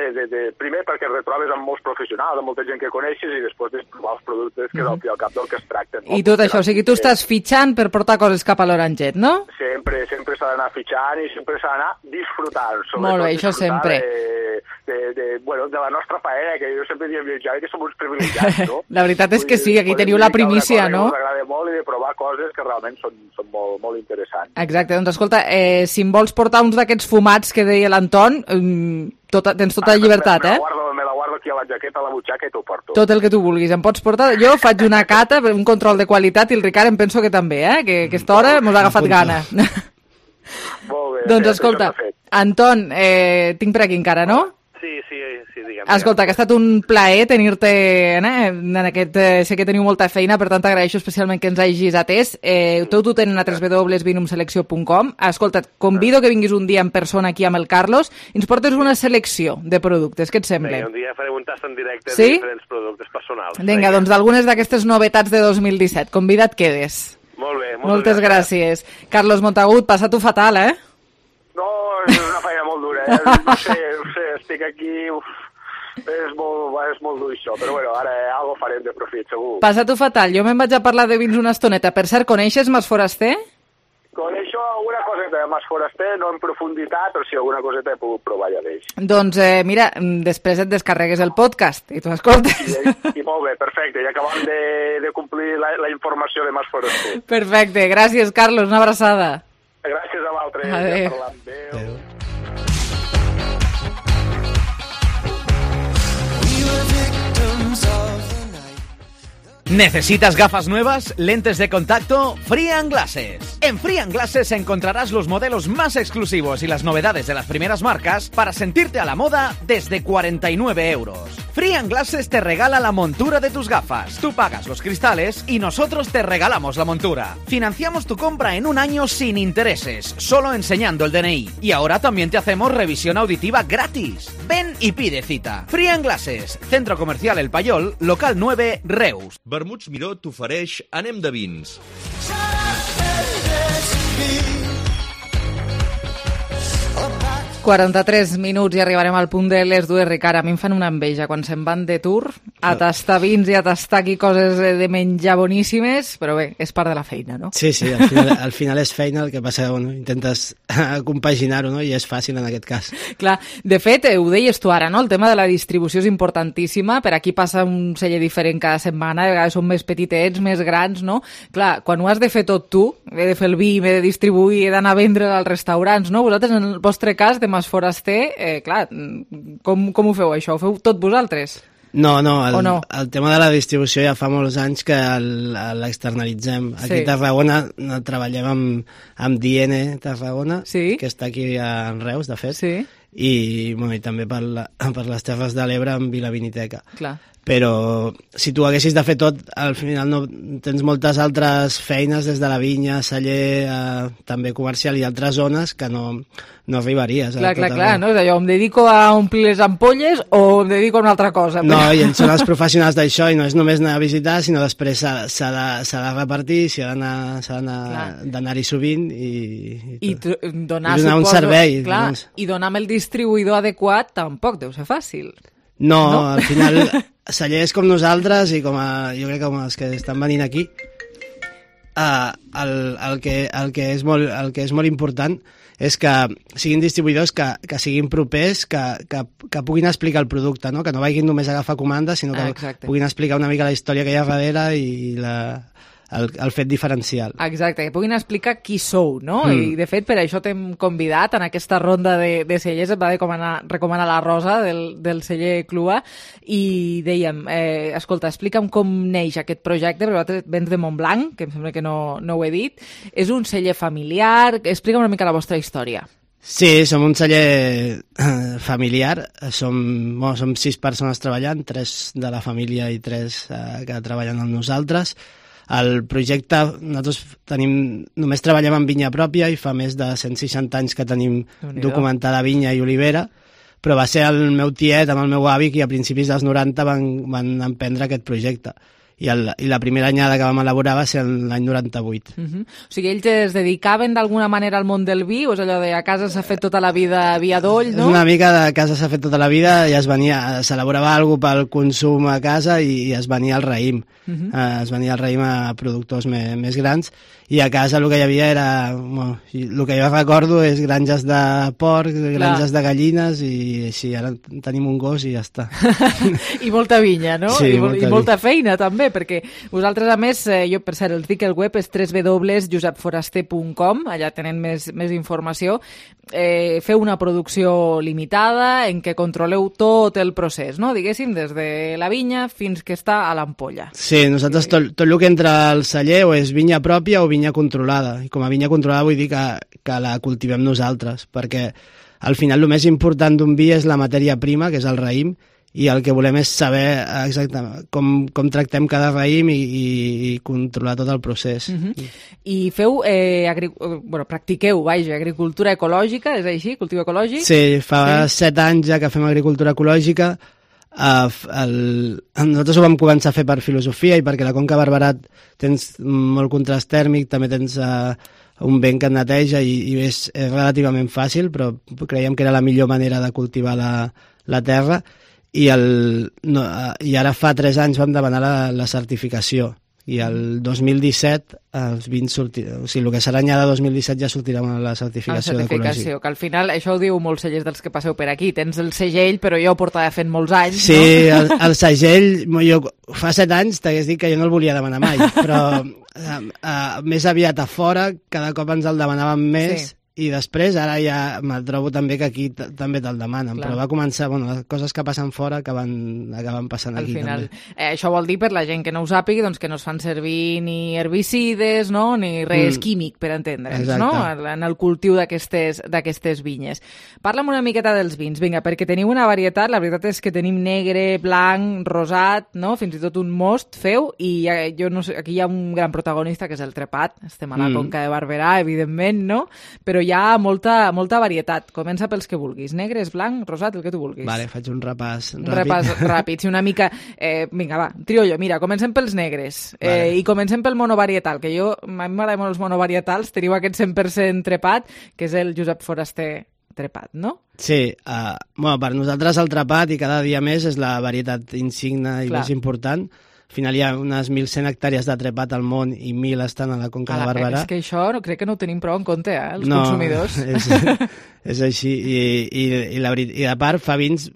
primer perquè et retrobes amb molts professionals, amb molta gent que coneixes i després de provar els productes que al fi al cap del que es tracta. No? I tot això, o sigui, tu estàs fitxant per portar coses cap a l'Oranget, no? Sempre s'ha d'anar fitxant i sempre s'ha d'anar disfrutant. Molt bé, això sempre. De la nostra paella, que jo sempre diem que som uns privilegiats, no? La veritat és que sí, aquí teniu la primícia, no? Ens agrada molt i de provar coses que realment són molt interessants. Exacte, doncs escolta, si em vols portar uns d'aquests fumats que deia l'Anton, tens tota la llibertat, Me la guardo aquí a la jaqueta, a la butxaca i t'ho porto. Tot el que tu vulguis. Em pots portar? Jo faig una cata, un control de qualitat i el Ricard em penso que també, que a aquesta hora mos ha agafat gana. Molt bé. Doncs escolta, Anton, tinc per aquí encara, no? Sí, digue'm. Escolta, que ha estat un plaer tenir-te en aquest... sé que teniu molta feina, per tant t'agraeixo especialment que ens hagis atès. Tot ho tenen a www.vinumselecció.com. Escolta, convido que vinguis un dia en persona aquí amb el Carlos i ens portes una selecció de productes. Què et sembla? Un dia farem un tast en directe de diferents productes personals. Vinga, doncs d'algunes d'aquestes novetats de 2017. Convida't quedes. Molt bé. Moltes gràcies. Carlos Montagut, passa-t'ho fatal, No, és una feina molt dura, No sé, estic aquí... És molt dur això, però bueno, ara algo farem de profit, segur. Passa-t'ho fatal. Jo me'n vaig a parlar de vins una estoneta. Per cert, coneixes Mas Foraster? Coneixo alguna coseta de Mas Foraster, no en profunditat, però sí, alguna coseta he pogut provar ja d'ells. Doncs mira, després et descarregues el podcast i tu escoltes. I molt bé, perfecte, ja acabem de complir la informació de Mas Foraster. Perfecte, gràcies, Carlos, una abraçada. Gràcies a l'altre. Adéu. Adéu. ¿Necesitas gafas nuevas? ¿Lentes de contacto? Free & Glasses. En Free & Glasses encontrarás los modelos más exclusivos y las novedades de las primeras marcas para sentirte a la moda desde 49 euros. Free & Glasses te regala la montura de tus gafas. Tú pagas los cristales y nosotros te regalamos la montura. Financiamos tu compra en un año sin intereses, solo enseñando el DNI. Y ahora también te hacemos revisión auditiva gratis. Ven y pide cita. Free & Glasses, Centro Comercial El Payol, local 9, Reus. Vermuts Miró t'ofereix Anem de vins. 43 minuts i arribarem al punt de les dues, Ricard. A mi em fan una enveja quan se'n van de tour a tastar vins i a tastar aquí coses de menjar boníssimes, però bé, és part de la feina, no? Sí, al final és feina, el que passa, bueno, intentes compaginar-ho, no? I és fàcil en aquest cas. Clar, de fet, ho deies tu ara, no? El tema de la distribució és importantíssima, per aquí passa un celler diferent cada setmana, de vegades són més petitets, més grans, no? Clar, quan ho has de fer tot tu, he de fer el vi, m'he de distribuir, he d'anar a vendre als restaurants, no? Vosaltres, en el vostre cas, de Mas Foraster, clar, com ho feu això? Ho feu tot vosaltres? No, el tema de la distribució ja fa molts anys que l'externalitzem. Aquí a Tarragona treballem amb DN Tarragona, que està aquí a Reus, de fet, i també per les Terres de l'Ebre amb Vilaviniteca. Clar. Però si tu haguessis de fer tot, al final no tens moltes altres feines des de la vinya, celler, també comercial i altres zones que no arribaries. Clar, no? És allò, em dedico a omplir les ampolles o em dedico a una altra cosa. No, i ells són els professionals d'això i no és només anar a visitar, sinó després s'ha de repartir, s'ha d'anar-hi sovint i donar un servei. Clar, i donar amb el distribuïdor adequat tampoc deu ser fàcil. No, al final, cellers com nosaltres i jo crec que com els que estan venint aquí, el que és molt important és que siguin distribuïdors que siguin propers, que puguin explicar el producte, no? Que no vagin només a agafar comandes, sinó que puguin explicar una mica la història que hi ha darrere i el fet diferencial. Exacte, que puguin explicar qui sou, no? I de fet per això t'hem convidat en aquesta ronda de cellers, et va recomanar la Rosa del celler Clua i dèiem, escolta, explica'm com neix aquest projecte, perquè vosaltres vens de Montblanc, que em sembla que no ho he dit, és un celler familiar, explica'm una mica la vostra història. Sí, som un celler familiar, som 6 persones treballant, 3 de la família i 3 que treballen amb nosaltres. El projecte, nosaltres només treballem en vinya pròpia i fa més de 160 anys que tenim documentada vinya i olivera, però va ser el meu tiet amb el meu avi que a principis dels 90 van emprendre aquest projecte. I la primera anyada que vam elaborar va ser l'any 98. O sigui, ells es dedicaven d'alguna manera al món del vi, o és allò de a casa s'ha fet tota la vida vi adoll, no? És una mica de casa s'ha fet tota la vida i s'elaborava alguna cosa pel consum a casa i es venia al raïm. Es venia al raïm a productors més grans i a casa el que hi havia era... el que jo recordo és granges de porc, granges de gallines i així, ara tenim un gos i ja està. I molta vinya, no? Sí, I molta feina també, perquè vosaltres, a més, jo per cert, els dic el web és www.josepforaster.com, allà tenen més informació. Feu una producció limitada en què controleu tot el procés, no? Diguéssim, des de la vinya fins que està a l'ampolla. Sí, nosaltres tot el que entra al celler o és vinya pròpia o vinya controlada. I com a vinya controlada vull dir que la cultivem nosaltres, perquè al final el més important d'un vi és la matèria prima, que és el raïm, i el que volem és saber exactament com tractem cada raïm i controlar tot el procés. I feu, practiqueu, agricultura ecològica, és així? Cultiu ecològic? Sí, fa 7 anys ja que fem agricultura ecològica. Nosaltres ho vam començar a fer per filosofia i perquè la Conca Barberat tens molt contrast tèrmic, també tens un vent que et neteja i és relativament fàcil, però creiem que era la millor manera de cultivar la terra. I ara fa 3 anys vam demanar la certificació i el 2017 els vins o sigui, el que serà anyada 2017 ja sortirà la certificació d'ecologia. Que al final, això ho diu molts cellers dels que passeu per aquí, tens el segell, però jo ho portava fent molts anys, sí, no? el segell, jo fa 7 anys t'hagués dit que jo no el volia demanar mai, però més aviat a fora, cada cop ens el demanàvem més, sí. I després, ara ja me trobo també que aquí també te'l demanen, però va començar, les coses que passen fora acaben passant aquí final, també. Això vol dir, per la gent que no ho sàpigui, doncs que no es fan servir ni herbicides, no? Ni res químic, per entendre'ns, no? En el cultiu d'aquestes vinyes. Parla'm una miqueta dels vins, vinga, perquè teniu una varietat, la veritat és que tenim negre, blanc, rosat, no? Fins i tot un most feu, i jo no sé, aquí hi ha un gran protagonista que és el trepat, estem a la Conca de Barberà, evidentment, no? Però hi ha molta varietat. Comença pels que vulguis. Negres, blanc, rosat, el que tu vulguis. Vale, faig un repàs ràpid. Un repàs ràpid, sí, una mica... vinga, va, trio jo. Mira, comencem pels negres. I comencem pel monovarietal, que a mi m'agraden molt els monovarietals. Teniu aquest 100% trepat, que és el Josep Foraster trepat, no? Sí, per nosaltres el trepat, i cada dia més, és la varietat insigna i més important. Al final hi ha unes 1.100 hectàrees de trepat al món i 1.000 estan a la Conca de Barberà. És que això crec que no ho tenim prou en compte, els consumidors. És així. I a part fa vins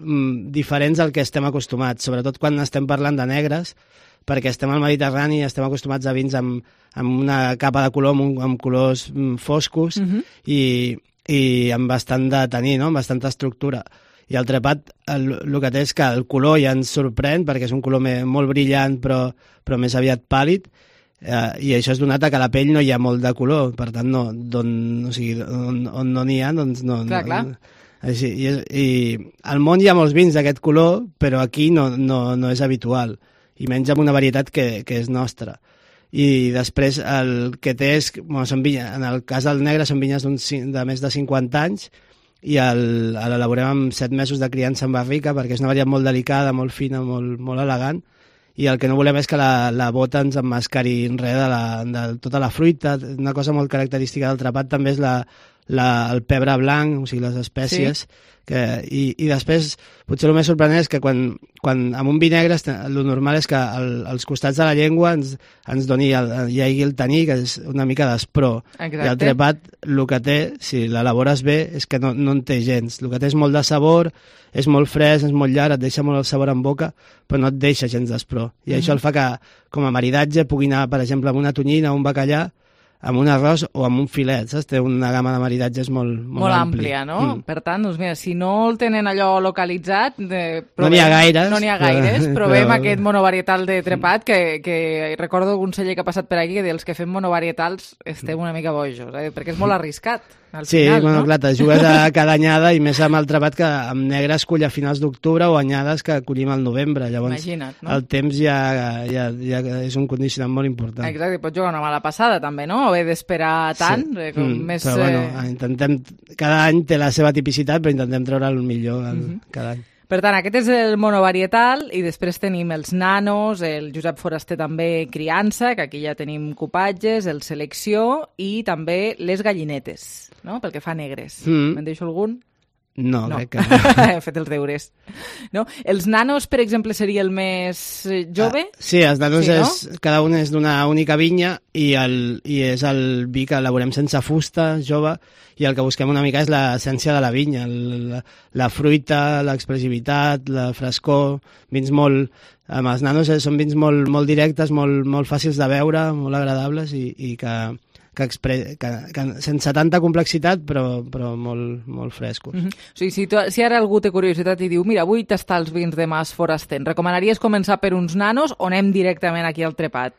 diferents al que estem acostumats, sobretot quan estem parlant de negres, perquè estem al Mediterrani i estem acostumats a vins amb una capa de color, amb colors foscos i amb bastant de taní, no? Amb bastanta estructura. I el trepat el que té és que el color ja ens sorprèn perquè és un color molt brillant però més aviat pàl·lid i això és donat a que a la pell no hi ha molt de color, per tant on no n'hi ha doncs no Així, i al món hi ha molts vins d'aquest color, però aquí no és habitual, i menys amb una varietat que és nostra. I després el que té és, són vinyes, en el cas del negre són vinyes de més de 50 anys, i l'elaborem amb 7 mesos de criança en barrica, perquè és una varietat molt delicada, molt fina, molt elegant, i el que no volem és que la bota ens emmascari res de tota la fruita. Una cosa molt característica del trepat també és el pebre blanc, o sigui, les espècies, i després potser el més sorprenent és que quan amb un vi negre el normal és que als costats de la llengua ens doni hi hagi el taní, que és una mica d'espró. I el trepat el que té, si l'elabores bé, és que no en té gens. El que té és molt de sabor, és molt fresc, és molt llarg, et deixa molt el sabor en boca, però no et deixa gens d'espró. I això el fa que com a maridatge pugui anar, per exemple, amb una tonyina o un bacallà, amb un arròs o amb un filet, saps? Té una gamma de maridatges molt àmplia, no? Per tant, doncs mira, si no el tenen allò localitzat... No n'hi ha gaires. No n'hi ha gaires, provem aquest monovarietal de trepat, que recordo un celler que ha passat per aquí que dels que fem monovarietals estem una mica bojos, perquè és molt arriscat. Sí, bueno, clar, te jugues a cada anyada i més amb el trepat que amb negre es cull a finals d'octubre o anyades que collim al novembre. Llavors, imagina't, no? El temps ja és un condicionant molt important. Exacte, i pots jugar una mala passada també, no? O haver d'esperar tant. Però bueno, intentem... Cada any té la seva tipicitat, però intentem treure el millor cada any. Per tant, aquest és el monovarietal i després tenim els nanos, el Josep Foraster també criança, que aquí ja tenim cupatges, el selecció i també les gallinetes, no? Pel que fa a negres. Me'n deixo algun? No, crec que no. He fet els deures. No? Els nanos, per exemple, seria el més jove? Sí, els nanos cada un és d'una única vinya i és el vi que elaborem sense fusta, jove, i el que busquem una mica és l'essència de la vinya, la fruita, l'expressivitat, la frescor, vins molt... Amb els nanos són vins molt directes, molt fàcils de beure, molt agradables i que sense tanta complexitat, però molt frescos. O sigui, si ara algú té curiositat i diu mira, vull tastar els vins de Mas Foraster, recomanaries començar per uns nanos o anem directament aquí al trepat?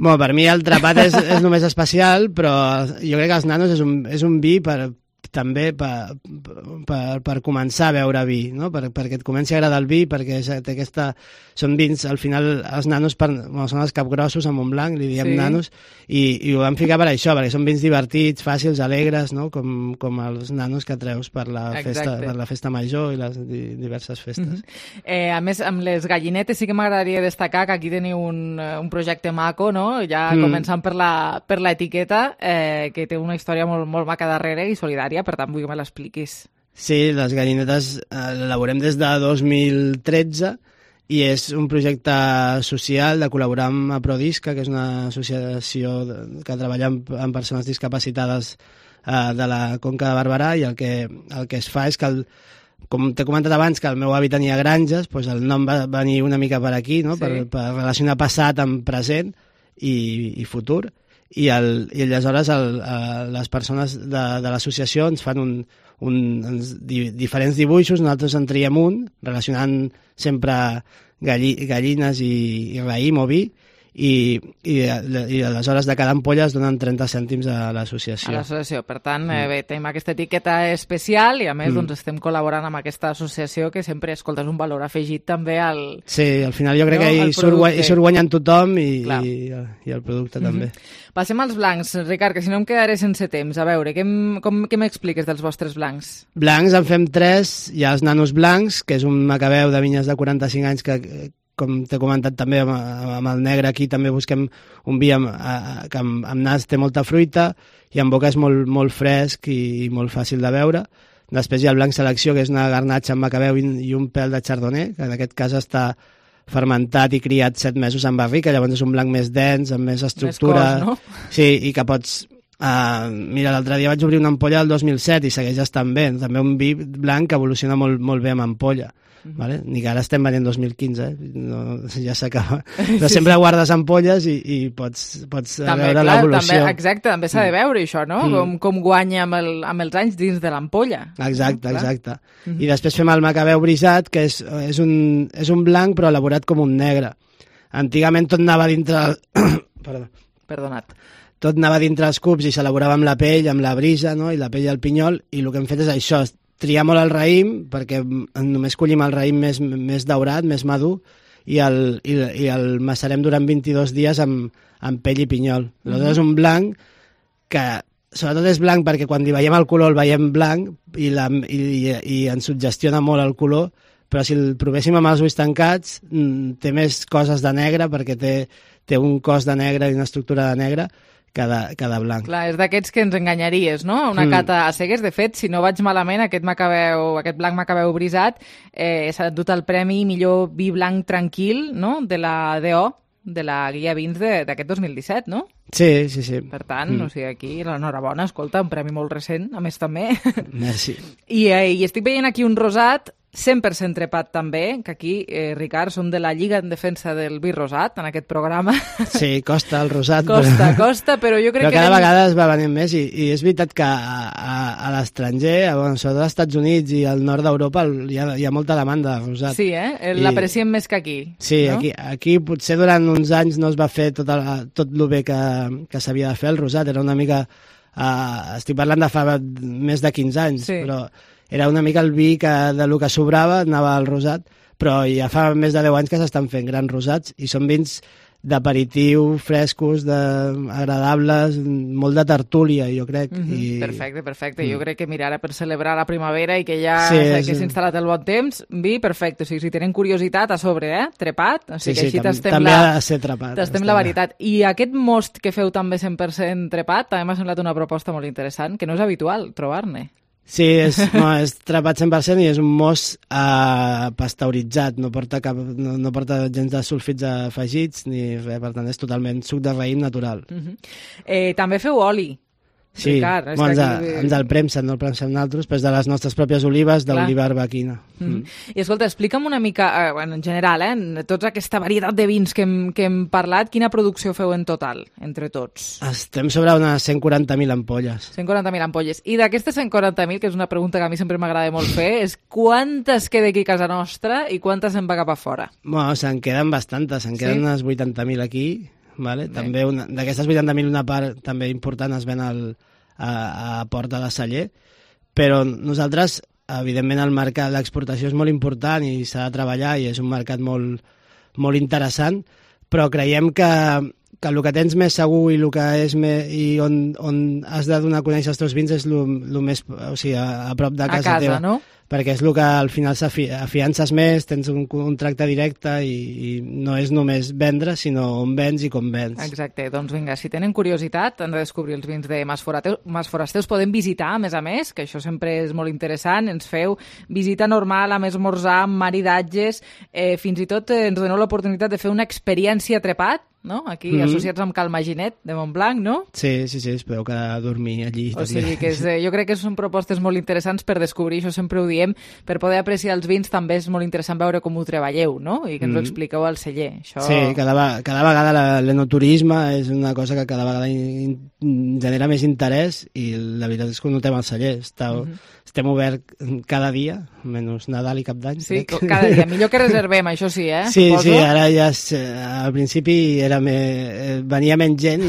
Bueno, per mi el trepat és només especial, però jo crec que els nanos és un vi també per començar a beure vi, no? Perquè et comenci a agradar el vi, perquè són vins, al final els nanos són els capgrossos amb un blanc, li diem nanos, i ho vam ficar per això, perquè són vins divertits, fàcils, alegres, no? Com els nanos que treus per la festa major i les diverses festes. A més, amb les gallinetes sí que m'agradaria destacar que aquí teniu un projecte maco, no? Ja començant per l'etiqueta, que té una història molt maca darrere i solidària, per tant vull que me l'expliquis. Sí, les gallinetes l'elaborem des de 2013 i és un projecte social de col·laborar amb Aprodisca, que és una associació que treballa amb persones discapacitades de la Conca de Barberà, i el que es fa és que, com t'he comentat abans, que el meu avi tenia granges, doncs el nom va venir una mica per aquí, no? Per relacionar passat amb present i futur. I aleshores les persones de l'associació ens fan diferents dibuixos, nosaltres en triem un, relacionant sempre gallines i raïm o vi, i aleshores de cada ampolla es donen 30 cèntims a l'associació. A l'associació, per tant, bé, tenim aquesta etiqueta especial i a més doncs, estem col·laborant amb aquesta associació que sempre, escolta, és un valor afegit també al... Sí, al final jo crec que hi surt guanyant tothom i el producte també. Passem als blancs, Ricard, que si no em quedaré sense temps. A veure, què m'expliques dels vostres blancs? Blancs en fem 3, hi ha els nanos blancs, que és un macabeu de vinyes de 45 anys que com t'he comentat també amb el negre, aquí també busquem un vi que amb nas té molta fruita i amb boca és molt fresc i molt fàcil de beure. Després hi ha el blanc selecció, que és una garnatxa amb macabeu i un pèl de chardonnay, que en aquest cas està fermentat i criat 7 mesos en barrica, llavors és un blanc més dens, amb més estructura. Més cos, no? Sí, i que pots... mira, l'altre dia vaig obrir una ampolla del 2007 i segueix estant bé. També un vi blanc que evoluciona molt bé amb ampolla. Vale? Ni que ara estem venint 2015, ja s'acaba. Però sempre guardes ampolles i pots veure l'evolució. Exacte, també s'ha de veure això, no? Com guanya amb els anys dins de l'ampolla. Exacte. I després fem el macabeu brisat, que és un blanc però elaborat com un negre. Antigament tot anava dintre... Perdonat. Tot anava dintre els cups i s'elaborava amb la pell, amb la brisa, no? I la pell i el pinyol, i el que hem fet és això, triar molt el raïm, perquè només collim el raïm més daurat, més madur, i el macerem durant 22 dies amb pell i pinyol. Aleshores és un blanc que sobretot és blanc perquè quan li veiem el color el veiem blanc i ens suggestiona molt el color, però si el provéssim amb els ulls tancats té més coses de negre perquè té un cos de negre i una estructura de negre que de blanc. Clar, és d'aquests que ens enganyaries, no? Una cata a cegues. De fet, si no vaig malament, aquest blanc Macabeu brisat s'ha endut el premi millor vi blanc tranquil, no?, de la DO, de la guia vins d'aquest 2017, no? Sí. Per tant, o sigui, aquí l'enhorabona, escolta, un premi molt recent, a més també. Merci. I estic veient aquí un rosat 100% trepat també, que aquí, Ricard, som de la Lliga en defensa del vi rosat en aquest programa. Sí, costa el rosat. Costa, però jo crec que... Però cada vegada es va venint més i és veritat que a l'estranger, sobretot als Estats Units i al nord d'Europa, hi ha molta demanda de rosat. Sí, l'apreciem més que aquí. Sí, no? aquí potser durant uns anys no es va fer tot el bé que s'havia de fer el rosat. Era una mica... estic parlant de fa més de 15 anys, sí. Però... era una mica el vi que del que sobrava anava al rosat, però ja fa més de 10 anys que s'estan fent grans rosats i són vins d'aperitiu, frescos, agradables, molt de tertúlia, jo crec. Perfecte. Jo crec que, mira, ara per celebrar la primavera i que ja s'ha instal·lat el bon temps, vi, perfecte. O sigui, si tenen curiositat, a sobre, trepat. O sigui, que així també ha de ser trepat. Tastem la varietat. I aquest most que feu també 100% trepat, també m'ha semblat una proposta molt interessant, que no és habitual trobar-ne. Sí, és trepat 100% i és un most pasteuritzat, no porta gens de sulfits afegits ni res, per tant és totalment suc de raïm natural. També feu oli. Sí, Ricard, ens el premsen, no el premsem nosaltres, però és de les nostres pròpies olives, de l'oliva arbequina. I escolta, explica'm una mica, en general, tota aquesta varietat de vins que hem parlat, quina producció feu en total, entre tots? Estem sobre unes 140.000 ampolles. 140.000 ampolles. I d'aquestes 140.000, que és una pregunta que a mi sempre m'agrada molt fer, és quantes queda aquí a casa nostra i quantes se'n va cap a fora? Bueno, se'n queden bastantes, se'n queden unes 80.000 aquí. Vale? També d'aquestes 80.000 una part també important es ven a Porta de Celler, però nosaltres, evidentment, el mercat, l'exportació és molt important i s'ha de treballar i és un mercat molt, molt interessant, però creiem que el que tens més segur i el que és i on has de donar a conèixer els teus vins és el més, o sigui, a prop de casa teva. No? Perquè és el que al final s'afiances més, tens un contracte directe i no és només vendre, sinó on vens i com vens. Exacte, doncs vinga, si tenen curiositat, han de descobrir els vins de Mas Foraster, us podem visitar, a més, que això sempre és molt interessant, ens feu visita normal, amb esmorzar, amb maridatges, fins i tot ens doneu l'oportunitat de fer una experiència trepat, no? Aquí associats amb Cal Maginet de Montblanc, no? Sí, es podeu quedar a dormir allí. O sigui que jo crec que són propostes molt interessants per descobrir, això sempre ho diem, per poder apreciar els vins també és molt interessant veure com ho treballeu, no? I que ens ho expliqueu al celler. Això... Sí, cada vegada l'enoturisme és una cosa que cada vegada genera més interès i la veritat és que ho notem al celler. Estem oberts cada dia, menys Nadal i Cap d'Any. Sí, cada dia. Millor que reservem, això sí, Sí, ara ja al principi venia menys gent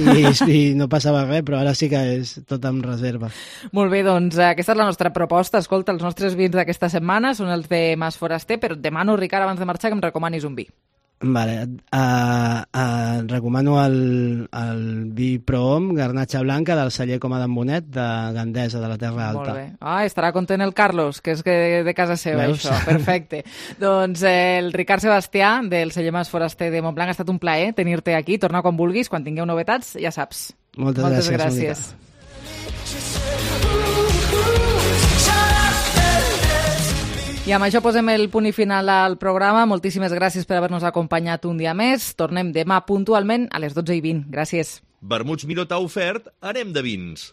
i no passava res, però ara sí que és tot amb reserva. Molt bé, doncs aquesta és la nostra proposta. Escolta, els nostres vins d'aquesta setmana són els de Mas Foraster, però et demano, Ricard, abans de marxar, que em recomanis un vi. Vale, recomano el vi Prohom, garnatxa blanca del celler Coma d'en Bonet, de Gandesa, de la Terra Alta. Molt bé. Estarà content el Carlos, que és de casa seva, Veus? això. Perfecte. Doncs el Ricard Sebastià, del celler Mas Foraster de Montblanc, ha estat un plaer tenir-te aquí. Torna quan vulguis, quan tingueu novetats, ja saps. Moltes gràcies. I amb això posem el punt i final al programa. Moltíssimes gràcies per haver-nos acompanyat un dia més. Tornem demà puntualment a les 12:20. Gràcies. Vermuts Minotaur ofert, anem de vins.